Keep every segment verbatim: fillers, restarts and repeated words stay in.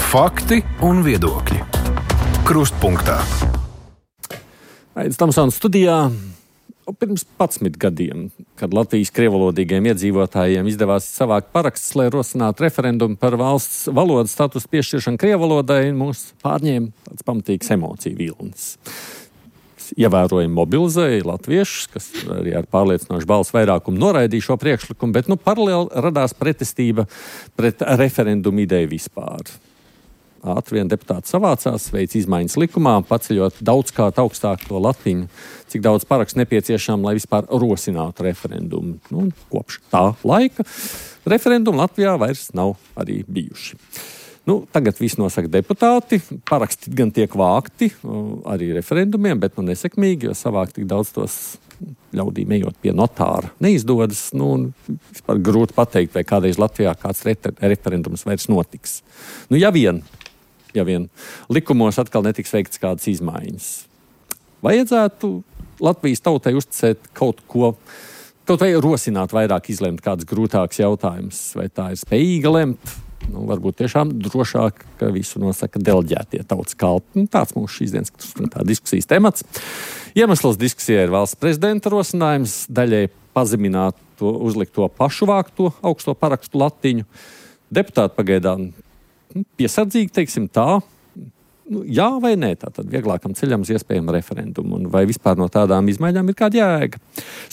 Fakti un viedokļi. Krustpunktā. Aidis Tamsons studijā. Pirms padsmit gadiem, kad Latvijas krievalodīgiem iedzīvotājiem izdevās savākt parakstus, lai rosinātu referendumu par valsts valodas statusu piešķiršanu krievalodai, mūs pārņēma tāds pamatīgs emociju vilnis. Ievērojami mobilizēja latviešus, kas arī ar pārliecinošu balsu vairākumu noraidīja šo priekšlikumu, bet nu paralēli radās pretestība pret referendumu ideju vispār. Ātri vien deputāti savācās, veic izmaiņas likumā, paceļot daudzkārt augstāk to latiņu, cik daudz parakstu nepieciešām, lai vispār rosinātu referendumu. Nu, kopš tā laika referendumu Latvijā vairs nav arī bijuši. Nu, tagad viss nosaka deputāti, paraksti gan tiek vākti arī referendumiem, bet nu nesekmīgi, jo savākt tik daudz tos ļaudīm ejot pie notāra neizdodas. Nu, vispār grūti pateikt, vai kādreiz Latvijā kāds referendums vairs notiks. Nu, ja vien, ja vien likumos atkal netiks veikts kādas izmaiņas. Vajadzētu Latvijas tautai uzticēt kaut ko, kaut vai rosināt vairāk izlemt kāds grūtāks jautājums, vai tā ir spējīga lemt. Nu, varbūt tiešām drošāk, ka visu nosaka deleģētie tautas kalpi. Nu, tāds mūsu šīs dienas tā diskusijas temats. Iemesls diskusijai ir valsts prezidenta rosinājums, daļai pazemināt to, uzlikt to pašu vākto augsto parakstu latiņu. Deputāti pagaidām nu, piesardzīgi, teiksim tā, nu, jā vai nē, tātad vieglākam ceļam uz iespējamu referendumu, un vai vispār no tādām izmaiņām ir kāda jēga.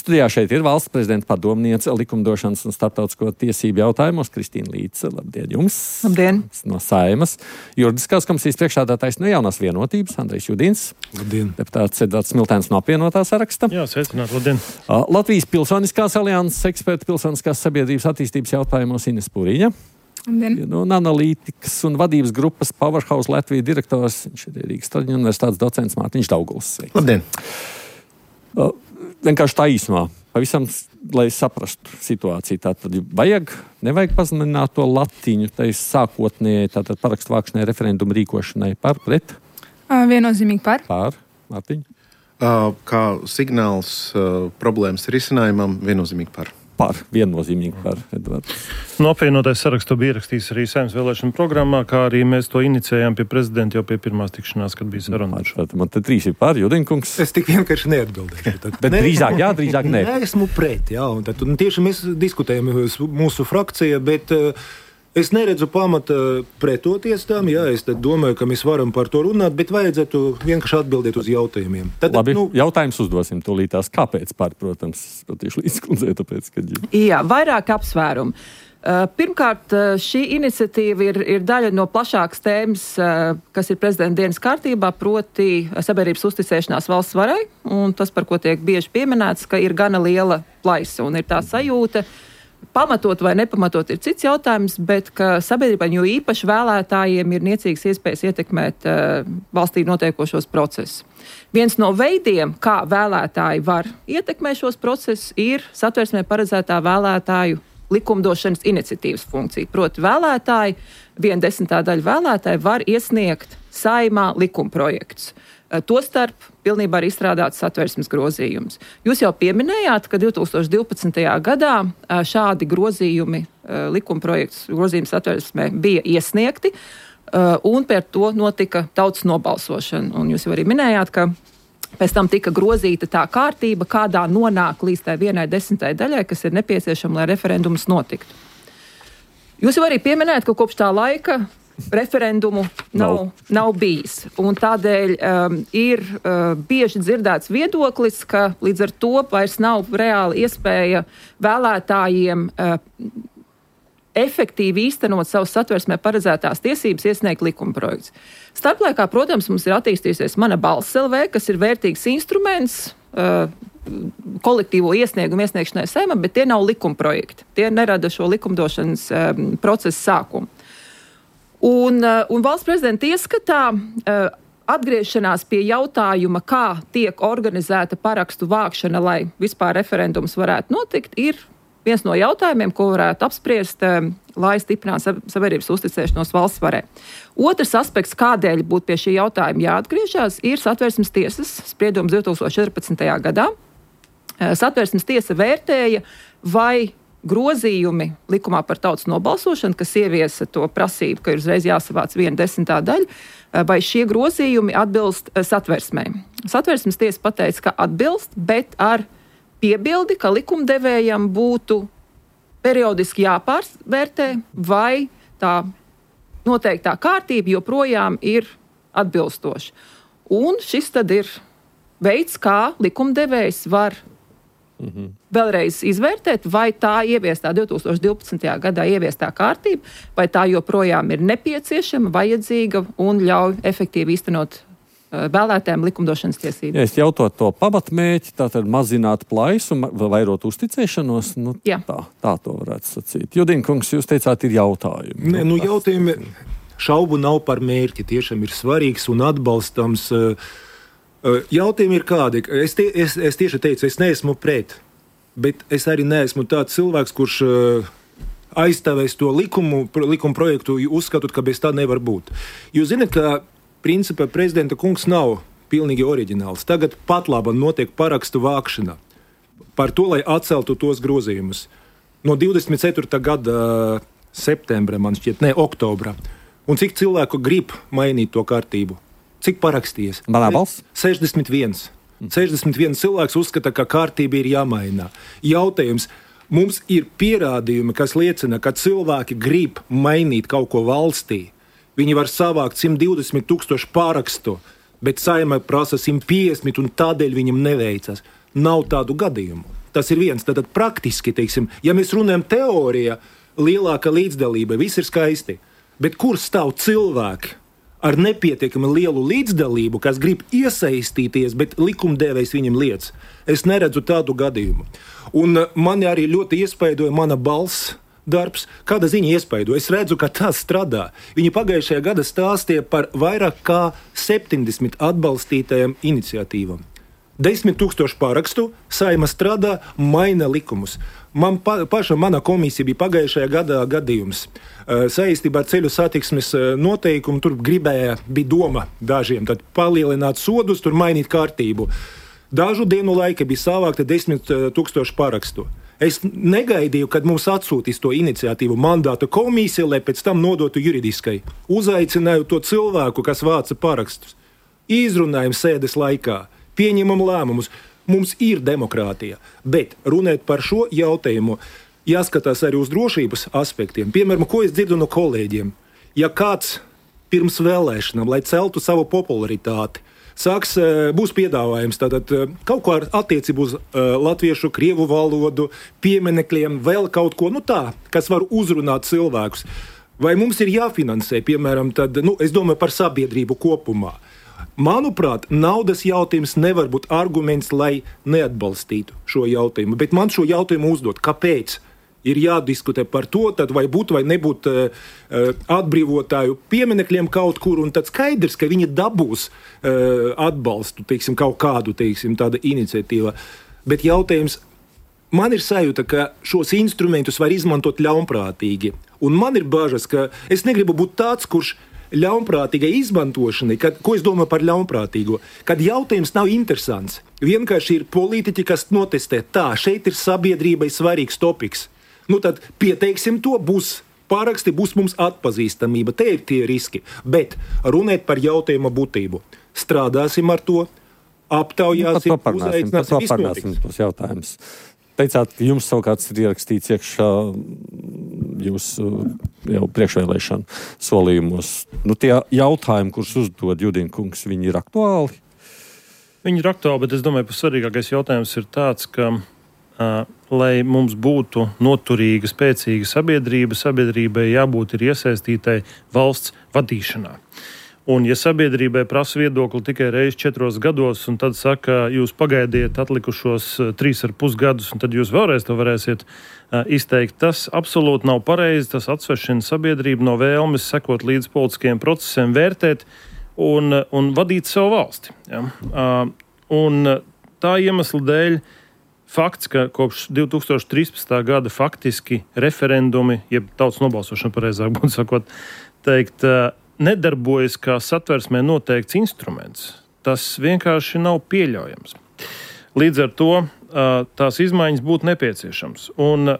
Studijā šeit ir valsts prezidenta padomniece likumdošanas un starptautisko tiesību jautājumos Kristīna Līce. Labdien jums! Labdien! No Saeimas. Juridiskās komisijas priekšsēdētājs no Jaunās vienotības Andrejs Judins. Labdien! Deputāts Edvards Smiltēns no apvienotā saraksta. Jā, sveicināt, labdien! Latvijas Pilsoniskās alianses eksperta pilsoniskās sabiedrības attīstības jautājumos Ines Puriņa. No analītikas un vadības grupas Powerhouse Latvijas direktors, viņš ir Rīgas Traģiņu universitātes docents Mārtiņš Dauguls. Labdien! Uh, vienkārši tā īsumā, pavisam, lai saprastu situāciju. Tātad vajag, nevajag pazemināt to latiņu, tai sākotnēji, tātad parakstu vākšanai, referendumu rīkošanai par, pret? Uh, viennozīmīgi par. Par, Mārtiņ? Uh, kā signāls uh, problēmas risinājumam, viennozīmīgi par. Par, viennozīmīgi par, Edvards. No apvienotais saraksts to bija ierakstījis arī Saeimas vēlēšanu programmā, kā arī mēs to inicējām pie prezidenta jau pie pirmās tikšanās, kad bija saruna. Man te trīs ir par, Judinkungs. Es tik vienkārši neatbildēšu. Tad, Bet ne, drīzāk jā, drīzāk nē. Nē, esmu pret, jā. Un tad, un tieši mēs diskutējam mūsu frakcija, bet uh, es neredzu pamata pretoties tam. Jā, es domāju, ka mēs varam par to runāt, bet vajadzētu vienkārši atbildēt uz jautājumiem. Tad, Labi, nu, jautājums uzdosim tūlītās. Kāpēc par, protams, tieši līdzkundzē, tāpēc, kad... Jā, vairāk apsvērumu. Pirmkārt, šī iniciatīva ir, ir daļa no plašākas tēmas, kas ir prezidenta dienas kārtībā, proti sabiedrības uzticēšanās valsts varai, un tas, par ko tiek bieži pieminēts, ka ir gana liela plaisa, un ir tā sajūta, pamatot vai nepamatot ir cits jautājums, bet ka sabiedrībai, jo īpaši vēlētājiem, ir niecīgas iespējas ietekmēt uh, valstī notiekošos procesus. Viens no veidiem, kā vēlētāji var ietekmēt šos procesus, ir Satversmē paredzētā vēlētāju likumdošanas iniciatīvas funkcija. Proti vēlētāji, viena desmitā daļa vēlētāji var iesniegt Saeimā likumprojektus. Tostarp pilnībā ir izstrādāts Satversmes grozījums. Jūs jau pieminējāt, ka divi tūkstoši divpadsmitajā gadā šādi grozījumi, likumprojekts grozījums Satversmē bija iesniegti, un par to notika tautas nobalsošana. Un jūs jau arī minējāt, ka pēc tam tika grozīta tā kārtība, kādā nonāk līdz tai vienai desmitai daļai, kas ir nepieciešama, lai referendums notiktu. Jūs jau arī pieminējāt, ka kopš tā laika referendumu nav, nav. nav bijis. Un tādēļ um, ir uh, bieži dzirdēts viedoklis, ka līdz ar to vairs nav reāli iespēja vēlētājiem uh, efektīvi īstenot savas Satversmē paredzētās tiesības iesniegt likumprojekts. Starplaikā, protams, mums ir attīstījusies Mana balss L V, kas ir vērtīgs instruments uh, kolektīvo iesniegumu iesniegšanai Saeimā, bet tie nav likumprojekti. Tie nerada šo likumdošanas um, procesu sākumu. Un, un valsts prezidenta ieskatā uh, atgriešanās pie jautājuma, kā tiek organizēta parakstu vākšana, lai vispār referendums varētu notikt, ir viens no jautājumiem, ko varētu apspriest, uh, lai stiprinātu sabiedrības uzticēšanos valsts varai. Otrs aspekts, kādēļ būtu pie šī jautājuma jāatgriežas, ir Satversmes tiesas spriedums divi tūkstoši četrpadsmitajā gadā. Uh, Satversmes tiesa vērtēja, vai grozījumi likumā par tautas nobalsošanu, kas ieviesa to prasību, ka ir uzreiz jāsavāc viena desmitā daļa, vai šie grozījumi atbilst satversmei. Satversmes tiesa pateica, ka atbilst, bet ar piebildi, ka likumdevējam būtu periodiski jāpārvērtē, vai tā noteiktā kārtība joprojām ir atbilstoša. Un šis tad ir veids, kā likumdevējs var mm-hmm. vēlreiz izvērtēt, vai tā ieviestā divtūkstoš divpadsmitajā gadā ieviestā kārtība, vai tā joprojām ir nepieciešama, vajadzīga un ļauj efektīvi īstenot vēlētājiem likumdošanas tiesības. Ja es jautātu to pamatmēķi, tātad mazināt plaisu, vairot uzticēšanos, nu tā, tā to varētu sacīt. Judīna kungs, jūs teicāt, ir jautājumi. Nē, nu jautājumi šaubu nav par mērķi, tiešām ir svarīgs un atbalstams. Jautājumi ir kādi. Es, tie, es, es tieši teicu, es neesmu pret, bet es arī neesmu tāds cilvēks, kurš aizstāvēs to likumu, likumu projektu, uzskatot, ka bez tā nevar būt. Jūs zināt, ka principā prezidenta kungs nav pilnīgi oriģināls. Tagad pat labi notiek parakstu vākšana par to, lai atceltu tos grozījumus. No divdesmit ceturtā gada septembra, man šķiet, ne, oktobra. Un cik cilvēku grib mainīt to kārtību? Cik parakstījies? Manā balss? sešdesmit viens. sešdesmit viens cilvēks uzskata, ka kārtība ir jāmaina. Jautājums. Mums ir pierādījumi, kas liecina, ka cilvēki grib mainīt kaut ko valstī. Viņi var savākt simt divdesmit tūkstoši pārakstu, bet Saeimai prasa simt piecdesmit un tādēļ viņam neveicas. Nav tādu gadījumu. Tas ir viens. Tātad praktiski, teiksim, ja mēs runājam teorijā, lielāka līdzdalība, viss ir skaisti. Bet kur stāv cilvēki ar nepietiekami lielu līdzdalību, kas grib iesaistīties, bet likumdevējs viņam liec? Es neredzu tādu gadījumu. Un mani arī ļoti iespaidoja mana balss darbs. Kāda ziņa iespaido? Es redzu, ka tas strādā. Viņi pagājušajā gada stāstīja par vairāk kā septiņdesmit atbalstītajām iniciatīvām. Desmit tūkstoši pārakstu, Saeima strādā, maina likumus. Man pa, paša mana komisija bija pagājušajā gadā gadījums. Saistībā ar ceļu satiksmes noteikumu tur gribēja, bija doma dažiem, tad palielināt sodus, tur mainīt kārtību. Dažu dienu laika bija savākta desmit tūkstoši pārakstu. Es negaidīju, kad mums atsūtīs to iniciatīvu mandāta komisija, lai pēc tam nodotu juridiskai. Uzaicināju to cilvēku, kas vāca parakstus. Izrunājam sēdes laikā, pieņemam lēmumus. Mums ir demokrātija, bet runāt par šo jautājumu jāskatās arī uz drošības aspektiem. Piemēram, ko es dzirdu no kolēģiem. Ja kāds pirms vēlēšanām, lai celtu savu popularitāti, Sāks, būs piedāvājums tātad kaut ko ar attiecību uz latviešu, krievu valodu, pieminekļiem, vēl kaut ko, nu tā, kas var uzrunāt cilvēkus. Vai mums ir jāfinansē, piemēram, tad, nu, es domāju par sabiedrību kopumā. Manuprāt, naudas jautājums nevar būt arguments, lai neatbalstītu šo jautājumu, bet man šo jautājumu uzdot, kāpēc? Ir jādiskutē par to, tad vai būt vai nebūt uh, atbrīvotāju pieminekļiem kaut kur, un tad skaidrs, ka viņi dabūs uh, atbalstu, teiksim, kaut kādu, teiksim, tāda iniciatīva. Bet jautājums, man ir sajūta, ka šos instrumentus var izmantot ļaunprātīgi. Un man ir bažas, ka es negribu būt tāds, kurš ļaunprātīgai izmantošanai, kad, ko es domāju par ļaunprātīgo, kad jautājums nav interesants. Vienkārši ir politiķi, kas notestē, tā, šeit ir sabiedrībai svarīgs topiks. Nu tad pieteiksim to, būs pāraksti, būs mums atpazīstamība. Te ir tie riski. Bet runēt par jautājuma būtību. Strādāsim ar to, aptaujāsim, nu, uzaicināsim, viss notiks. Tos jautājumus. Teicāt, ka jums savukārt ir ierakstīts iekšā jūsu jau priekšvēlēšanu solījumos. Nu, tie jautājumi, kurus uzdod Judīna kungs, viņi ir aktuāli? Viņi ir aktuāli, bet es domāju, ka svarīgākais jautājums ir tāds, ka Uh, lai mums būtu noturīga, spēcīga sabiedrība, sabiedrībai jābūt ir iesaistītai valsts vadīšanā. Un ja sabiedrībai prasa viedokli tikai reizi četros gados, un tad saka, jūs pagaidiet atlikušos uh, trīs ar pus gadus, un tad jūs vēlreiz to varēsiet uh, izteikt, tas absolūti nav pareizi, tas atsvešina sabiedrību no vēlmes sekot līdz politiskiem procesiem, vērtēt un, un vadīt savu valsti. Ja? Uh, un tā iemesla dēļ fakts, ka kopš divi tūkstoši trīspadsmitā gada faktiski referendumi, jeb tautas nobalsošana pareizāk būtu sakot, teikt, nedarbojas kā satversmē noteikts instruments. Tas vienkārši nav pieļaujams. Līdz ar to tās izmaiņas būtu nepieciešams. Un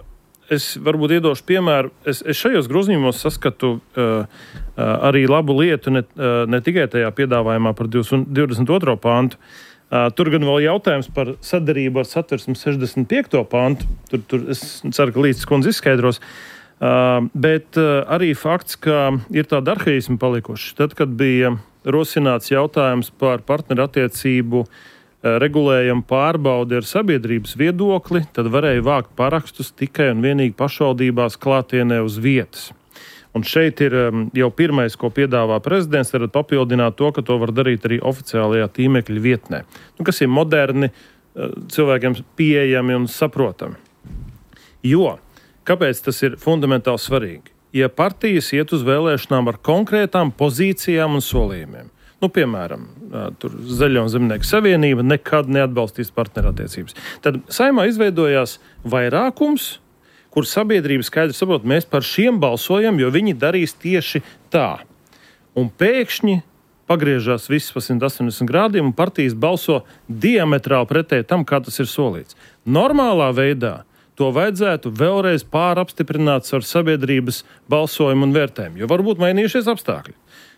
es varbūt iedošu piemēru. Es, es šajos grozījumos saskatu uh, uh, arī labu lietu ne, uh, ne tikai tajā piedāvājumā par divdesmit otro pantu. Uh, tur gan vēl jautājums par sadarību ar Satversmes sešdesmit piekto pantu. Tur, tur es ceru, ka līdz kundze izskaidros. Uh, bet uh, arī fakts, ka ir tāda arhaisma palikuši. Tad, kad bija rosināts jautājums par partnerattiecību regulējumu pārbaudi ar sabiedrības viedokli, tad varēja vākt parakstus tikai un vienīgi pašvaldībās klātienē uz vietas. Un šeit ir jau pirmais, ko piedāvā prezidents, tad papildināt to, ka to var darīt arī oficiālajā tīmekļa vietnē. Nu, kas ir moderni, cilvēkiem pieejami un saprotami. Jo, kāpēc tas ir fundamentāli svarīgi? Ja partijas iet uz vēlēšanām ar konkrētām pozīcijām un solījumiem, nu, piemēram, tur Zaļo un Zemnieku savienība nekad neatbalstīs partnerattiecības. Tad Saeimā izveidojās vairākums, kur sabiedrība skaidri saprot, mēs par šiem balsojam, jo viņi darīs tieši tā. Un pēkšņi pagriežās viss pa simt astoņdesmit grādiem un partijas balso diametrāli pretēji tam, kā tas ir solīts. Normālā veidā to vajadzētu vēlreiz pārapstiprināt ar sabiedrības balsojumu un vērtējumu, jo varbūt mainījušies apstākļi.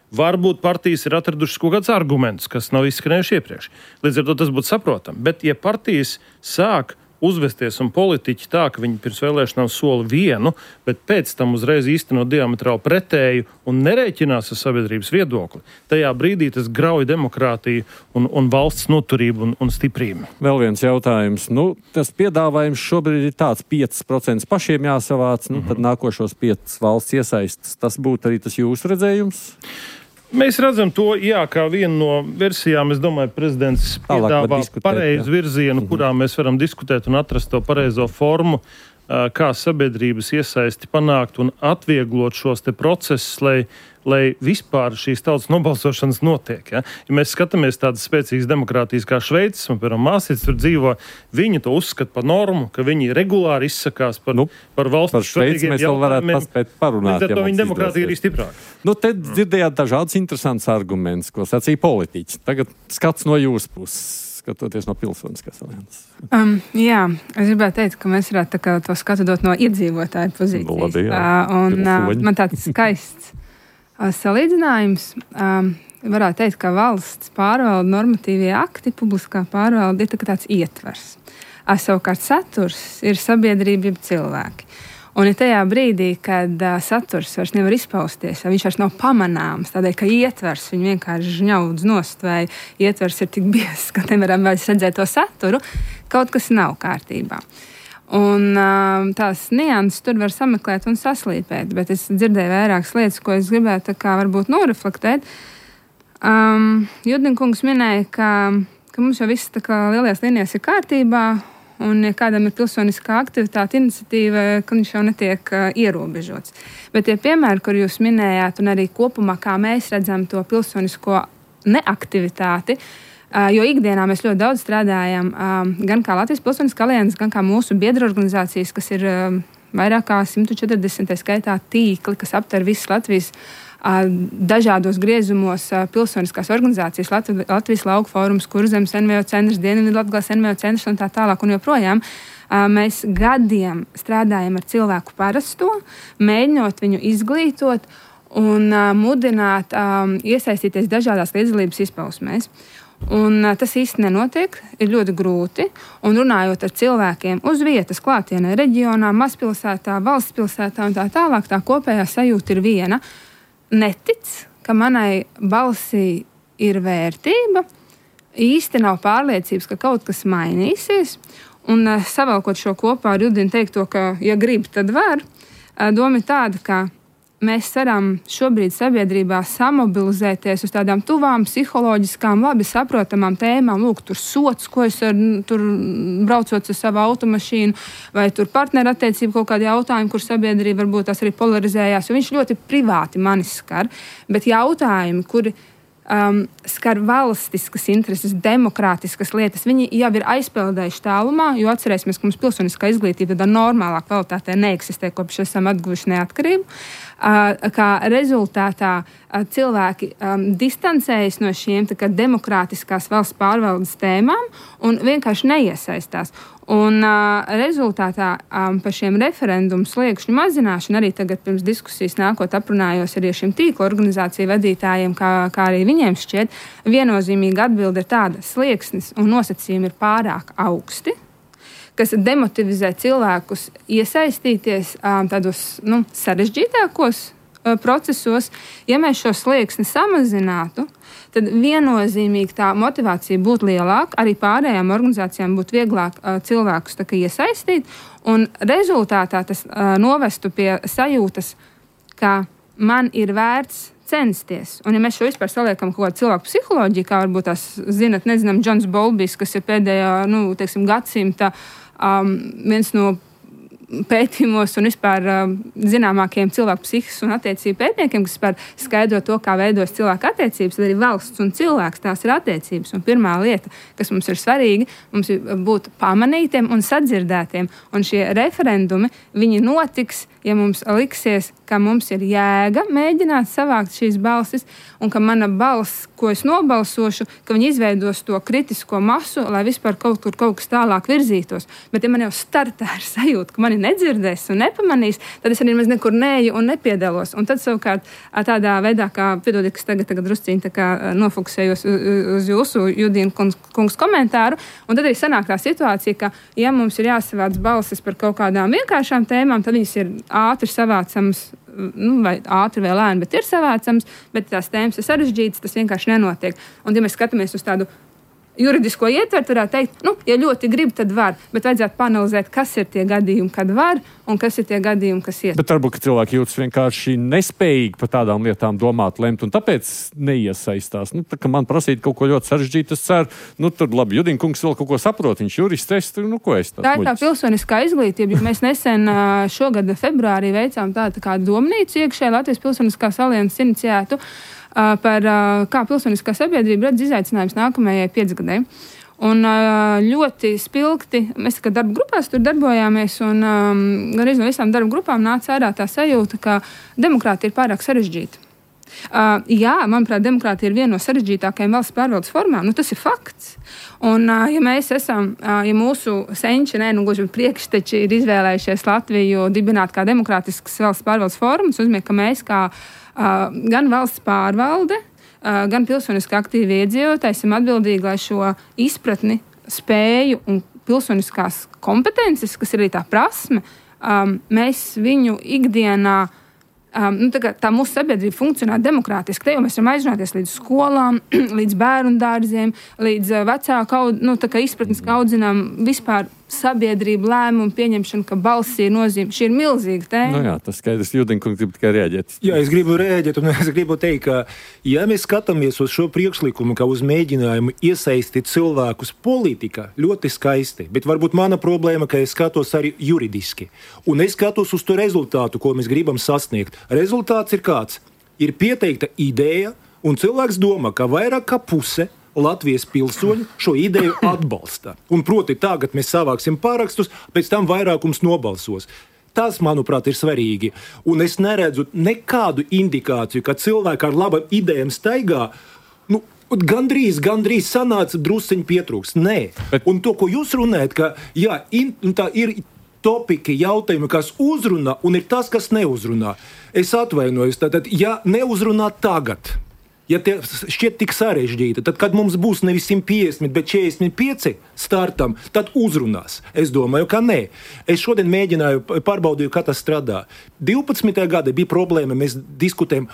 Varbūt partijas ir atradušas kaut kādus argumentus, kas nav izskanējuši iepriekš. Līdz ar to tas būtu saprotami. Bet, ja partijas sāk uzvesties un politiķi tā, ka viņi pirms vēlēšanām sola vienu, bet pēc tam uzreiz īsteno diametrāli pretēju un nerēķinās ar sabiedrības viedokli, tajā brīdī tas grauj demokrātiju un, un valsts noturību un, un stiprību. Vēl viens jautājums. Nu, tas piedāvājums šobrīd ir tāds pieci procenti pašiem jāsavāc, nu, mm-hmm. tad nākošos piecas valsts iesaistas. Tas būtu arī tas jūsu redzējums? Mēs redzam to, jā, kā vienu no versijām, es domāju, prezidents piedāvā pareizu virzienu, mm-hmm. kurā mēs varam diskutēt un atrast to pareizo formu, kā sabiedrības iesaisti panākt un atvieglot šos te procesus, lai, lai vispār šīs tautas nobalsošanas notiek. Ja, ja mēs skatāmies tādas spēcīgas demokrātijas kā Šveicis, un, piemēram, māsītes tur dzīvo, viņi to uzskata par normu, ka viņi regulāri izsakās par, nu, par valsts svarīgiem jautājumiem. Par Šveici mēs vēl varētu paspēt parunāt. Līdz ar to viņa demokrātija ir stiprāka. Nu, te dzirdējāt dažādas interesantas argumentus, ko sacīja politiķi. Tagad skats no jūsu puses. Skatoties no pilsoniskās alianses. Um, jā, es gribētu teikt, ka mēs varētu tā kā to skatu dot no iedzīvotāju pozīcijas. No labi, jā. uh, un uh, man tāds skaists uh, salīdzinājums. Um, varētu teikt, ka valsts pārvalda normatīvie akti, publiskā pārvalda ir tā kā tāds ietvers. Uh, savukārt saturs ir sabiedrība, jeb cilvēki. Un ir tajā brīdī, kad uh, saturs vairs nevar izpausties, viņš vairs nav pamanāms, tādēļ, ka ietvers viņu vienkārši žņaudz nost, vai ietvers ir tik biezs, ka nevaram vairs redzēt to saturu, kaut kas nav kārtībā. Un uh, tās nianses tur var sameklēt un saslīpēt, bet es dzirdēju vairākas lietas, ko es gribētu tā kā varbūt noreflektēt. Um, Judinkungs minēja, ka, ka mums jau viss tā kā lielajās līnijās ir kārtībā, un ja kādam ir pilsoniskā aktivitāte, iniciatīva, ka viņš jau netiek uh, ierobežots. Bet tie piemēri, kur jūs minējāt, un arī kopumā, kā mēs redzam to pilsonisko neaktivitāti, uh, jo ikdienā mēs ļoti daudz strādājam uh, gan kā Latvijas Pilsoniskā alianse, gan kā mūsu biedru organizācijas, kas ir uh, vairāk kā simt četrdesmit skaitā tīkli, kas aptver visas Latvijas dažādos griezumos pilsoniskās organizācijas, Latv- Latvijas lauku fórums, Kurzemes N V O centrs, Dienvidlatgales N V O centrs un tā tālāk un joprojām. Mēs gadiem strādājam ar cilvēku parasto, mēģinot viņu izglītot un mudināt iesaistīties dažādās līdzdalības izpausmēs. Un tas īsti nenotiek, ir ļoti grūti, un runājot ar cilvēkiem uz vietas, klātienē, reģionā, mazpilsētā, valsts pilsētā un tā tālāk, tā kopējā sajūta ir viena. Netic, ka manai balsī ir vērtība, īsti nav pārliecības, ka kaut kas mainīsies, un savalkot šo kopā ar Judinu teikto, ka, ja grib, tad var, doma ir tāda, ka mēs varam šobrīd sabiedrībā samobilizēties uz tādām tuvām, psiholoģiskām, labi saprotamām tēmām. Lūk, tur sots, ko es ar, tur braucot ar savu automašīnu, vai tur partnerattiecību kaut kādi jautājumi, kur sabiedrība varbūt tās arī polarizējās, jo viņš ļoti privāti manis skar. Bet jautājumi, kuri um, skar valstiskas intereses, demokrātiskas lietas, viņi jau ir aizpeldējuši tālumā, jo atcerēsimies, ka mums pilsoniskā izglītība tādā normālā kvalitātē neeksistē, kopš esam atguvuši neatkarību. kā rezultātā cilvēki um, distancējas no šiem tā kā demokrātiskās valsts pārvaldes tēmām un vienkārši neiesaistās. Un uh, rezultātā um, par šiem referendumu sliekšņu mazināšanu arī tagad pirms diskusijas nākot aprunājos arī ar šiem tīkla organizāciju vadītājiem, kā, kā arī viņiem šķiet, viennozīmīga atbilde ir tāda: slieksnis un nosacījumi ir pārāk augsti, kas demotivizē cilvēkus iesaistīties um, tādos nu, sarežģītākos uh, procesos. Ja mēs šo slieksni samazinātu, tad viennozīmīgi tā motivācija būtu lielāka, arī pārējām organizācijām būtu vieglāk uh, cilvēkus tā kā iesaistīt, un rezultātā tas uh, novestu pie sajūtas, ka man ir vērts censties. Un ja mēs šo vispār saliekam kaut kādu cilvēku psiholoģiju, kā varbūt tās zinat, nezinām, Džons Bolbijs, kas ir pēdējā, nu, teiksim, gadsimta um, viens no pētījumos un vispār uh, zināmākajiem cilvēku psihiskas un attiecību pētniekiem, kas vispār skaidro to, kā veidos cilvēku attiecības, tad arī valsts un cilvēks tās ir attiecības. Un pirmā lieta, kas mums ir svarīga, mums ir būt pamanītiem un sadzirdētiem. Un šie referendumi, viņi notiks, ja mums liksies, ka mums ir jēga mēģināt savākt šīs balsis, un ka mana balss, ko es nobalsošu, ka viņi izveidos to kritisko masu, lai vispār kaut kur kaut kas tālāk virzītos. Bet ja man jau startā ir sajūta, ka mani nedzirdēs un nepamanīs, tad es arī maz nekur neeju un nepiedalos. Un tad savukārt tādā veidā, kā, piedodiet, kas tagad, tagad drusciņi tā kā nofokusējos uz jūsu Judīna kungs komentāru, un tad arī sanāk tā situācija, ka ja mums ir jāsavāc balsis par kaut kādām vienkāršām tēmām, tad viņas ir ātri savācams, nu, vai ātri vai lēni, bet ir savācams, bet tās tēmas ir sarežģītas, tas vienkārši nenotiek. Un ja mēs skatāmies uz tādu juridisko ietvertu, varētu teikt, nu, ja ļoti grib, tad var, bet vajadzētu panalizēt, kas ir tie gadījumi, kad var, un kas ir tie gadījumi, kas iet. Bet varbūt, ka cilvēki jūtas vienkārši nespējīgi par tādām lietām domāt, lemt, un tāpēc neiesaistās. Nu, tā kā man prasīt kaut ko ļoti sarežģītu, es ceru, nu, tur labi, Judīna kungs vēl kaut ko saprot, viņš jurists, es, nu, ko es tāds Tā ir tā muļķis. pilsoniskā izglītība, jo mēs nesen šogad februārī veicām tādu tā kā domnīcu iekšē Latvijas Pilsoniskās alianses iniciētu, par kā pilsoniskā sabiedrība redz izaicinājums nākamajai piecgadēji. Un ļoti spilgti, mēs kā darba grupās tur darbojāmies, un um, gan no visām darba grupām nāca ārā tā sajūta, ka demokrātija ir pārāk sarežģīta. Uh, jā, manuprāt, demokrātija ir viena no sarežģītākajām valsts pārvaldes formām. Nu, tas ir fakts. Un, uh, ja mēs esam, uh, ja mūsu senči, ne, nu, gluži priekšteči ir izvēlējušies Latviju dibināt kā demokrātiskas valsts pārvaldes formas, uzmien, ka mēs kā uh, gan valsts pārvalde, uh, gan pilsoniski aktīvi iedzīvotāji esam atbildīgi, lai šo izpratni, spēju un pilsoniskās kompetences, kas ir arī tā prasme, um, mēs viņu ikdienā Um, nu, tā, kā, tā mūsu sabiedrība funkcionē demokrātiski. Te jau mēs varam aizrunāties līdz skolām, līdz bērnu dārziem, līdz uh, vecāku nu, izpratnes, kā audzinām vispār sabiedrību lēmumu pieņemšanu, ka balss ir nozīme. Šī ir milzīga tēma. Nu jā, tas skaidrs. Judīna kungs grib tikai reaģēt. Jā, es gribu reaģēt, un es gribu teikt, ka ja mēs skatāmies uz šo priekšlikumu, kā uz mēģinājumu iesaistīt cilvēkus politikā, ļoti skaisti, bet varbūt mana problēma, ka es skatos arī juridiski. Un es skatos uz to rezultātu, ko mēs gribam sasniegt. Rezultāts ir kāds? Ir pieteikta ideja, un cilvēks domā, ka vairāk kā puse Latvijas pilsoņi šo ideju atbalsta. Un proti tagad mēs savāksim pārakstus, pēc tam vairākums nobalsos. Tas, manuprāt, ir svarīgi. Un es neredzu nekādu indikāciju, ka cilvēki ar labām idejām staigā, nu, gandrīz, gandrīz sanāca drusciņi pietrūks. Nē. Bet... Un to, ko jūs runājat, ka jā, in, tā ir topiki, jautājumi, kas uzrunā, un ir tas, kas neuzrunā. Es atvainojos, tātad, ja neuzrunā tagad, ja tie šķiet tik sarežģīti, tad, kad mums būs nevis simt piecdesmit, bet četrdesmit pieci startam, tad uzrunās. Es domāju, ka nē. Es šodien mēģināju, pārbaudīju, kā tas strādā. divpadsmitajā gadā bija problēma, mēs diskutējam,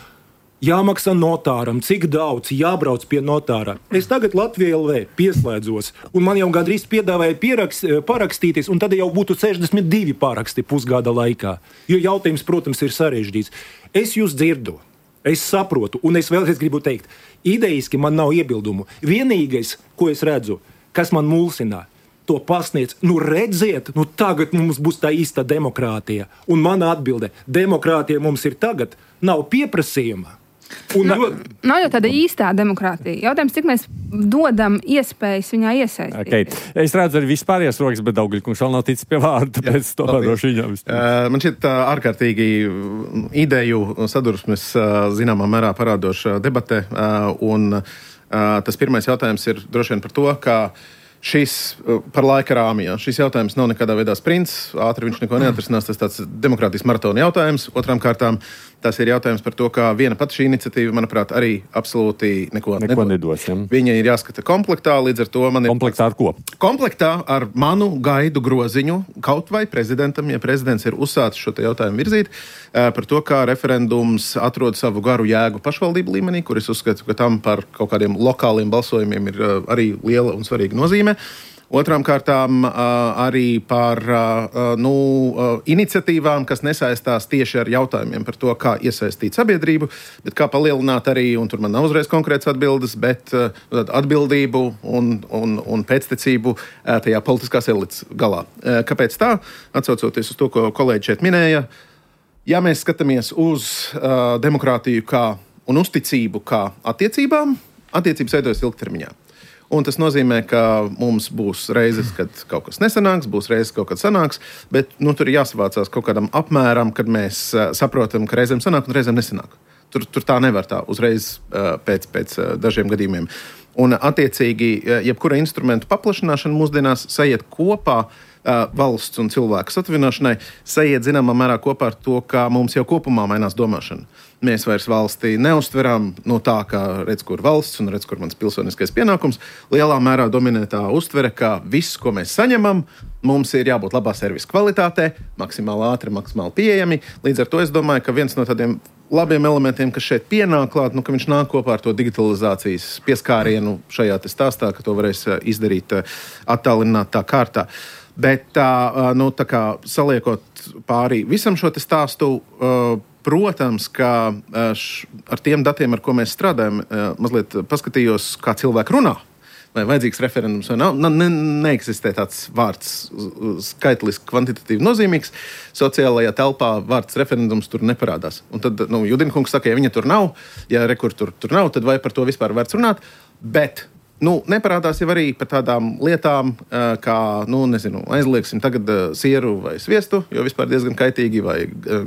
jāmaksā notāram, cik daudz jābrauc pie notāra. Es tagad Latvijā L V pieslēdzos, un man jau gandrīz piedāvāja pierakst, parakstīties, un tad jau būtu sešdesmit divi paraksti pusgada laikā. Jo jautājums, protams, ir sarežģīts. Es jūs dzirdu. Es saprotu, un es vēlreiz gribu teikt, idejiski man nav iebildumu. Vienīgais, ko es redzu, kas man mulsinā, to pasniedz, nu redziet, nu tagad mums būs tā īsta demokrātija. Un mana atbilde, demokrātija mums ir tagad, nav pieprasījuma. Un, no, nav jau tāda īstā demokrātija. Jautājums, cik mēs dodam iespējas viņā iesaistīt. Okay. Es redzu arī vispārējās rokas, bet Daugļkungs vēl nav ticis pie vārda, tāpēc to varošu viņam. Uh, man šķiet uh, ārkārtīgi ideju sadursmes uh, zināmā mērā parādoša debate. Uh, un uh, tas pirmais jautājums ir droši vien par to, ka šis par laika rāmijā. Šis jautājums nav nekādā veidā sprints, ātri viņš neko neatrisinās, tas tāds demokrātijas maratona jautājums. Otrām kārtām tas ir jautājums par to, ka viena pati šī iniciatīva, manuprāt, arī absolūti neko, neko nedos. Ja? Viņa ir jāskata komplektā, līdz ar to man ir... Komplektā ar ko? Komplektā ar manu gaidu groziņu, kaut vai prezidentam, ja prezidents ir uzsācis šo te jautājumu virzīt, par to, kā referendums atrod savu garu jēgu pašvaldību līmenī, kur es uzskatu, ka tam par kaut kādiem lokāliem balsojumiem ir arī liela un svarīga nozīme. Otrām kārtām arī par nu, iniciatīvām, kas nesaistās tieši ar jautājumiem par to, kā iesaistīt sabiedrību, bet kā palielināt arī, un tur man nav uzreiz konkrēts atbildes, bet atbildību un, un, un pēctecību tajā politiskās elites galā. Kāpēc tā? Atsaucoties uz to, ko kolēģi šeit minēja, ja mēs skatāmies uz demokrātiju kā, un uzticību kā attiecībām, attiecības veidojas ilgtermiņā. Un tas nozīmē, ka mums būs reizes, kad kaut kas nesanāks, būs reizes, kaut kad sanāks, bet nu, tur ir jāsavācās kaut kādam apmēram, kad mēs uh, saprotam, ka reizēm sanāk un reizēm nesanāk. Tur, tur tā nevar tā uzreiz uh, pēc, pēc uh, dažiem gadījumiem. Un attiecīgi, uh, jebkura instrumentu paplašināšana mūsdienās sajiet kopā uh, valsts un cilvēku satuvināšanai, sajiet zināmā mērā kopā ar to, ka mums jau kopumā mainās domāšana. Mēs vairs valstī neuztveram no tā, ka redz, kur valsts un redz, kur mans pilsoniskais pienākums. Lielā mērā dominē tā uztvere, ka viss, ko mēs saņemam, mums ir jābūt labā servisa kvalitātē, maksimāli ātri, maksimāli pieejami. Līdz ar to es domāju, ka viens no tādiem labiem elementiem, kas šeit pienāk klāt, nu, ka viņš nāk kopā ar to digitalizācijas pieskārienu šajā te stāstā, ka to varēs izdarīt attālinātā kārtā. Bet tā, nu, tā kā saliekot pārī visam šo te stāstu, protams, ka š, ar tiem datiem, ar ko mēs strādājam, mazliet paskatījos, kā cilvēki runā. Vai vajadzīgs referendums vai nav. Ne, neeksistē tāds vārds skaitliski, kvantitatīvi nozīmīgs. Sociālajā telpā vārds referendums tur neparādās. Un tad, nu, Judinkungs saka, ja viņa tur nav, ja rekur tur, tur nav, tad vai par to vispār vērts runāt? Bet nu, neparādās jau arī par tādām lietām, kā, nu, nezinu, aizliegsim tagad sieru vai sviestu, jo vispār diezgan kaitīgi, vai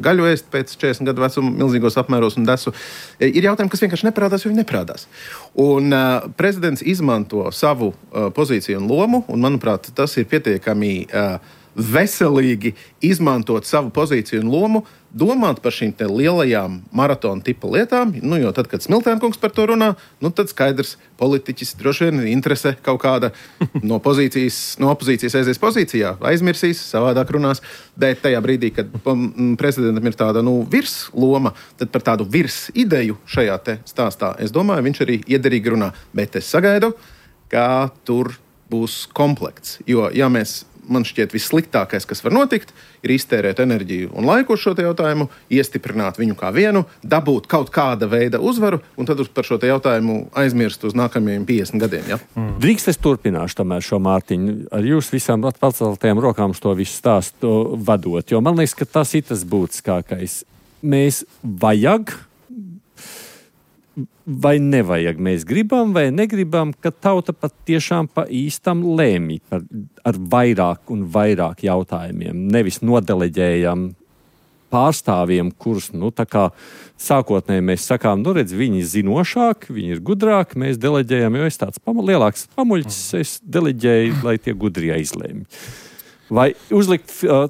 gaļu ēst pēc četrdesmit gadu vecuma milzīgos apmēros un desu. Ir jautājumi, kas vienkārši neparādās, jo viņi neparādās. Un uh, prezidents izmanto savu uh, pozīciju un lomu, un, manuprāt, tas ir pietiekami uh, veselīgi izmantot savu pozīciju un lomu, domāt par šīm te lielajām maratona tipa lietām, nu, jo tad, kad Smiltēnkungs par to runā, nu, tad skaidrs, politiķis droši vien interese kaut kāda no pozīcijas, no opozīcijas aizies pozīcijā, aizmirsīs, savādāk runās, bet tajā brīdī, kad prezidentam ir tāda, nu, virs loma, tad par tādu virs ideju šajā te stāstā, es domāju, viņš arī iederīgi runā, bet es sagaidu, ka tur būs komplekts, jo, ja mēs man šķiet vissliktākais, kas var notikt, ir iztērēt enerģiju un laiku uz šo te jautājumu, iestiprināt viņu kā vienu, dabūt kaut kāda veida uzvaru un tad par šo te jautājumu aizmirst uz nākamajiem piecdesmit gadiem. Ja? Mm. Drīkst es turpināšu tomēr šo Mārtiņu ar jūs visām paceltajām rokām to visu stāstu vadot, jo man liekas, ka tas ir tas būtiskākais. Mēs vajag vai nevajag, mēs gribam vai negribam, ka tauta pat tiešām pa īstam lēmj par, ar vairāk un vairāk jautājumiem. Nevis nodeleģējam pārstāvjiem, kurus, nu, tā kā sākotnēji mēs sakām, nu, redz, viņi ir zinošāki, viņi ir gudrāki, mēs deleģējam, jo es tāds pama, lielāks pamuļķis, es deleģēju, lai tie gudrie izlēmj. Vai uzlikt... Uh,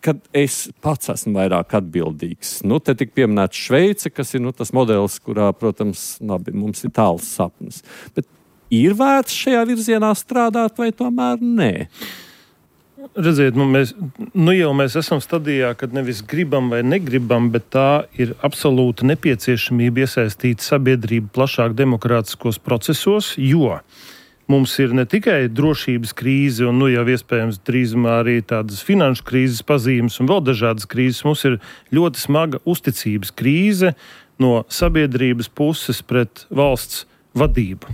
kad es pats esmu vairāk atbildīgs. Nu, te tik pieminēts Šveice, kas ir nu, tas modelis, kurā, protams, labi, mums ir tāls sapnis. Bet ir vērts šajā virzienā strādāt vai tomēr nē? Redziet, nu, mēs, nu jau mēs esam stadijā, kad nevis gribam vai negribam, bet tā ir absolūta nepieciešamība iesaistīt sabiedrību plašāk demokrātiskos procesos, jo mums ir ne tikai drošības krīze un nu jau iespējams drīzumā arī tādas finanšu krīzes pazīmes un vēl dažādas krīzes. Mums ir ļoti smaga uzticības krīze no sabiedrības puses pret valsts vadību.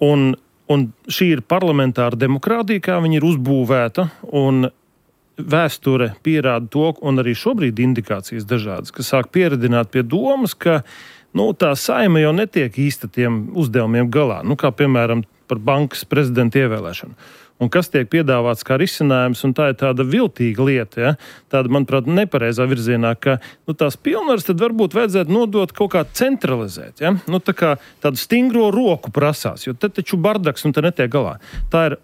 Un, un šī ir parlamentāra demokrātija, kā viņa ir uzbūvēta, un vēsture pierāda to, un arī šobrīd indikācijas dažādas, kas sāk pieredināt pie domas, ka nu, tā Saeima jau netiek īsti tiem uzdevumiem galā, nu, kā piemēram par bankas prezidenta ievēlēšanu. Un kas tiek piedāvāts kā risinājums, un tā ir tāda viltīga lieta, ja? Tāda, manuprāt, nepareizā virzienā, ka nu, tās pilnvaras tad varbūt vajadzētu nodot kaut kā centralizēt. Ja? Nu, tā kā tādu stingro roku prasās, jo te taču bardaks un te netiek galā. Tā ir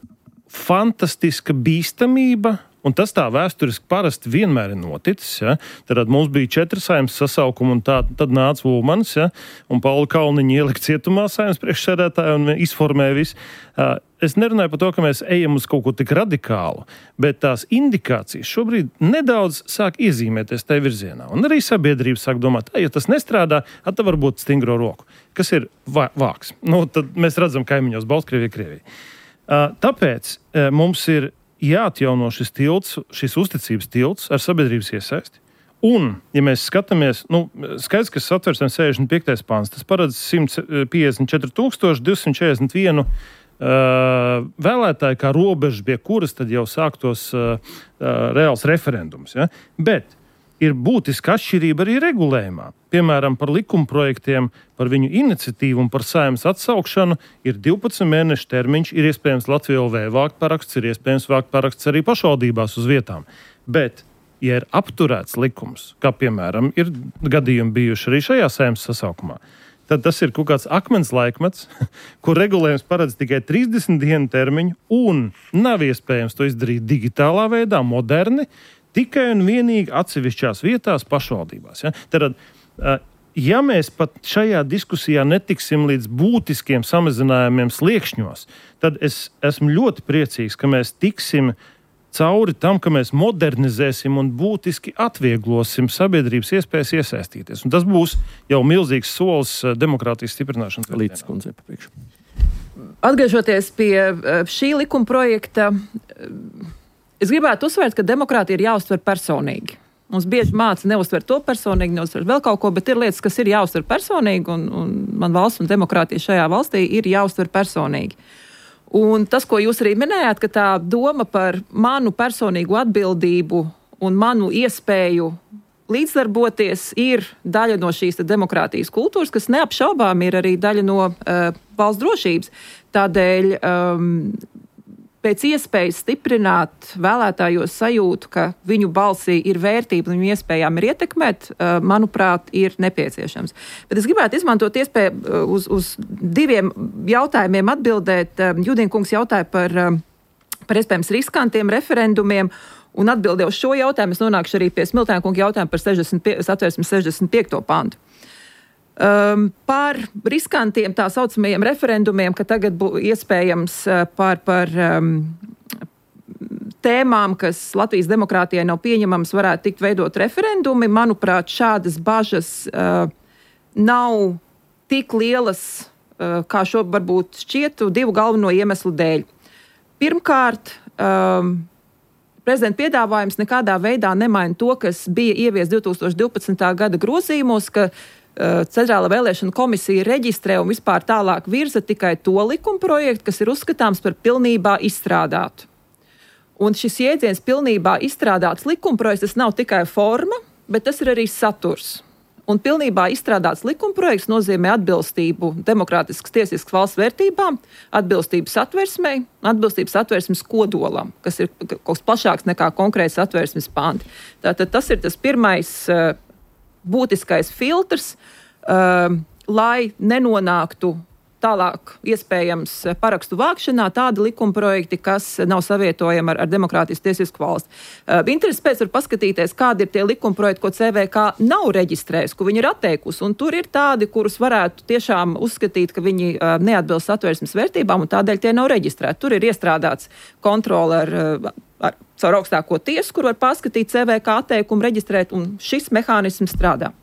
fantastiska bīstamība, un tas tā vēsturiski parasti vienmēr ir noticis. Ja? Tad mums bija četri Saeimas sasaukumi, un tā, tad nāca Ulmanis, ja? Un Pauli Kalniņi ielika cietumā Saeimas priekšsēdētāju un izformēja visu. Es nerunāju par to, ka mēs ejam uz kaut ko tik radikālu, bet tās indikācijas šobrīd nedaudz sāk iezīmēties tajā virzienā. Un arī sabiedrība sāk domāt, ja tas nestrādā, tad var būt stingro roku. Kas ir vā, vāks? Nu, tad mēs redzam kaimiņos Baltkrievija, Krievija. Tāpēc mums ir jāatjauno šis tilts, šis uzticības tilts ar sabiedrības iesaisti. Un, ja mēs skatāmies, nu, skaidrs, ka Satversmes sešdesmit piektais pants, tas paredz simt piecdesmit četri tūkstoši divsimt četrdesmit viens uh, vēlētāju kā robeža, pie kuras tad jau sāktos uh, uh, reāls referendums. Ja? Bet ir būtiska atšķirība arī regulējumā. Piemēram, par likumprojektiem, par viņu iniciatīvu un par Saeimas atsaukšanu ir divpadsmit mēnešu termiņš, ir iespējams Latvijā L V vākt paraksts, ir iespējams vākt paraksts arī pašvaldībās uz vietām. Bet, ja ir apturēts likums, kā piemēram ir gadījumi bijuši arī šajā Saeimas sasaukumā, tad tas ir kaut kāds akmens laikmets, kur regulējums paredz tikai trīsdesmit dienu termiņu un nav iespējams to izdarīt digitālā veidā, moderni, tikai un vienīgi atsevišķās vietās pašvaldībās. Ja? Tad, ja mēs pat šajā diskusijā netiksim līdz būtiskiem samazinājumiem sliekšņos, tad es esmu ļoti priecīgs, ka mēs tiksim cauri tam, ka mēs modernizēsim un būtiski atvieglosim sabiedrības iespējas iesaistīties. Un tas būs jau milzīgs solis demokrātijas stiprināšanas virzienā. Atgriežoties pie šī likuma projekta, es gribētu uzsvērt, ka demokrātija ir jāuztver personīgi. Mums bieži māca neuztver to personīgi, neuztver vēl kaut ko, bet ir lietas, kas ir jāuztver personīgi, un, un man valsts un demokrātija šajā valstī ir jāuztver personīgi. Un tas, ko jūs arī minējāt, ka tā doma par manu personīgu atbildību un manu iespēju līdzdarboties ir daļa no šīs demokrātijas kultūras, kas neapšaubām ir arī daļa no uh, valsts drošības. Tādēļ um, pēc iespējas stiprināt vēlētājos sajūtu, ka viņu balsī ir vērtība un viņu iespējām ir ietekmēt, manuprāt, ir nepieciešams. Bet es gribētu izmantot iespēju uz, uz diviem jautājumiem atbildēt. Judīnkungs jautāja par, par iespējams riskantiem referendumiem, un atbildēju uz šo jautājumu. Es nonākšu arī pie Smiltēnkunga jautājumu par Satversmes sešdesmit piekto pantu. Um, par riskantiem tā saucamajiem referendumiem, ka tagad būs iespējams uh, par, par um, tēmām, kas Latvijas demokrātijai nav pieņemamas, varētu tikt veidot referendumi. Manuprāt, šādas bažas uh, nav tik lielas, uh, kā šo varbūt šķietu, divu galveno iemeslu dēļ. Pirmkārt, um, prezidenta piedāvājums nekādā veidā nemaina to, kas bija ievies divi tūkstoši divpadsmitā gada grozījumos, ka Centrāla vēlēšana komisija reģistrē un vispār tālāk virza tikai to likumprojektu, kas ir uzskatāms par pilnībā izstrādātu. Un šis jēdziens pilnībā izstrādāts likumprojekts, tas nav tikai forma, bet tas ir arī saturs. Un pilnībā izstrādāts likumprojekts nozīmē atbilstību demokrātiskas tiesiskas valsts vērtībām, atbilstību satversmei, atbilstību satversmes kodolam, kas ir kaut kas plašāks nekā konkrēts satversmes panti. Tātad tas ir tas pirmais būtiskais filtrs, uh, lai nenonāktu tālāk iespējams parakstu vākšanā tādi likumprojekti, kas nav savietojami ar, ar demokrātijas tiesisku valsti. Uh, interesi pēc var paskatīties, kādi ir tie likumprojekti, ko C V K nav reģistrējis, ko viņi ir atteikusi, un tur ir tādi, kurus varētu tiešām uzskatīt, ka viņi uh, neatbilst satversmes vērtībām, un tādēļ tie nav reģistrēti. Tur ir iestrādāts kontrole ar uh, ar caur augstāko tiesu, kur var paskatīt C V K atteikumu, reģistrēt, un šis mehānisms strādā.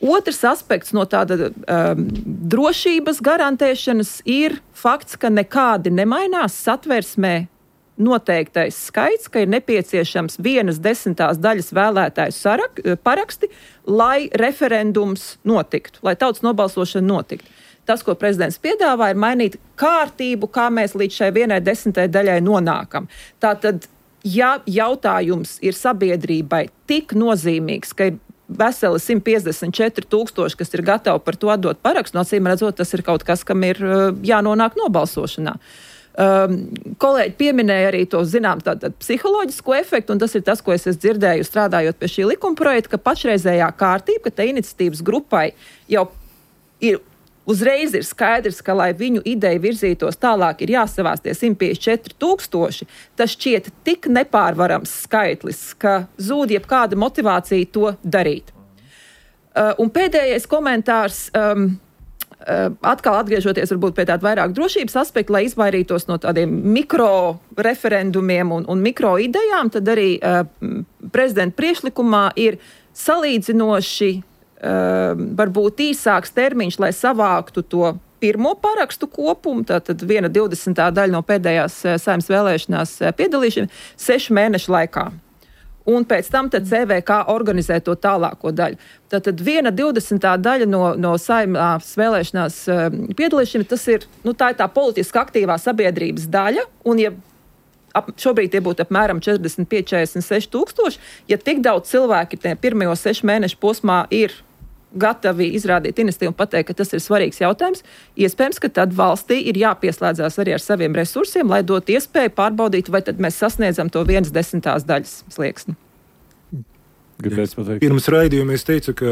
Otrs aspekts no tāda um, drošības garantēšanas ir fakts, ka nekādi nemainās satversmē noteiktais skaits, ka ir nepieciešams vienas desmitās daļas vēlētāju sarak, paraksti, lai referendums notiktu, lai tautas nobalsošana notiktu. Tas, ko prezidents piedāvā, ir mainīt kārtību, kā mēs līdz šai vienai desmitai daļai nonākam. Tātad, ja jautājums ir sabiedrībai tik nozīmīgs, ka ir veseli simt piecdesmit četri tūkstoši, kas ir gatavi par to atdot parakstu, no acīm redzot, tas ir kaut kas, kam ir jānonāk nobalsošanā. Um, kolēģi pieminēja arī to, zinām, tātad psiholoģisko efektu, un tas ir tas, ko es esmu dzirdēju strādājot pie šī likuma projekta, ka pašreizējā kārtība, ka te iniciatīvas grupai jau ir uzreiz ir skaidrs, ka, lai viņu ideja virzītos tālāk, ir jāsavās tie simt piecdesmit četri tūkstoši. Tas šķiet tik nepārvarams skaitlis, ka zūd jebkāda motivācija to darīt. Uh, un pēdējais komentārs, um, uh, atkal atgriežoties varbūt pie tāda vairāk drošības aspekta, lai izvairītos no tādiem mikro referendumiem un, un mikro idejām, tad arī uh, prezidenta priekšlikumā ir salīdzinoši Uh, varbūt īsāks termiņš, lai savāktu to pirmo parakstu kopumu, tātad viena divdesmitā daļa no pēdējās uh, Saeimas vēlēšanās uh, piedalīšana, sešu mēnešu laikā. Un pēc tam tad C V K organizē to tālāko daļu. Tātad viena divdesmitā daļa no, no Saeimas vēlēšanās uh, piedalīšana, tas ir, nu, tā ir tā politiski aktīvā sabiedrības daļa, un ja ap, šobrīd tie būtu apmēram četrdesmit pieci četrdesmit seši tūkstoši, ja tik daudz cilvēki tie pirmajos sešu mēnešu posmā ir gatavi izrādīt iniciatīvu un pateikt, ka tas ir svarīgs jautājums, iespējams, ka tad valstī ir jāpieslēdzās arī ar saviem resursiem, lai dot iespēju pārbaudīt, vai tad mēs sasniedzam to vienas desmitās daļas slieksni. Pirms raidījuma es teicu, ka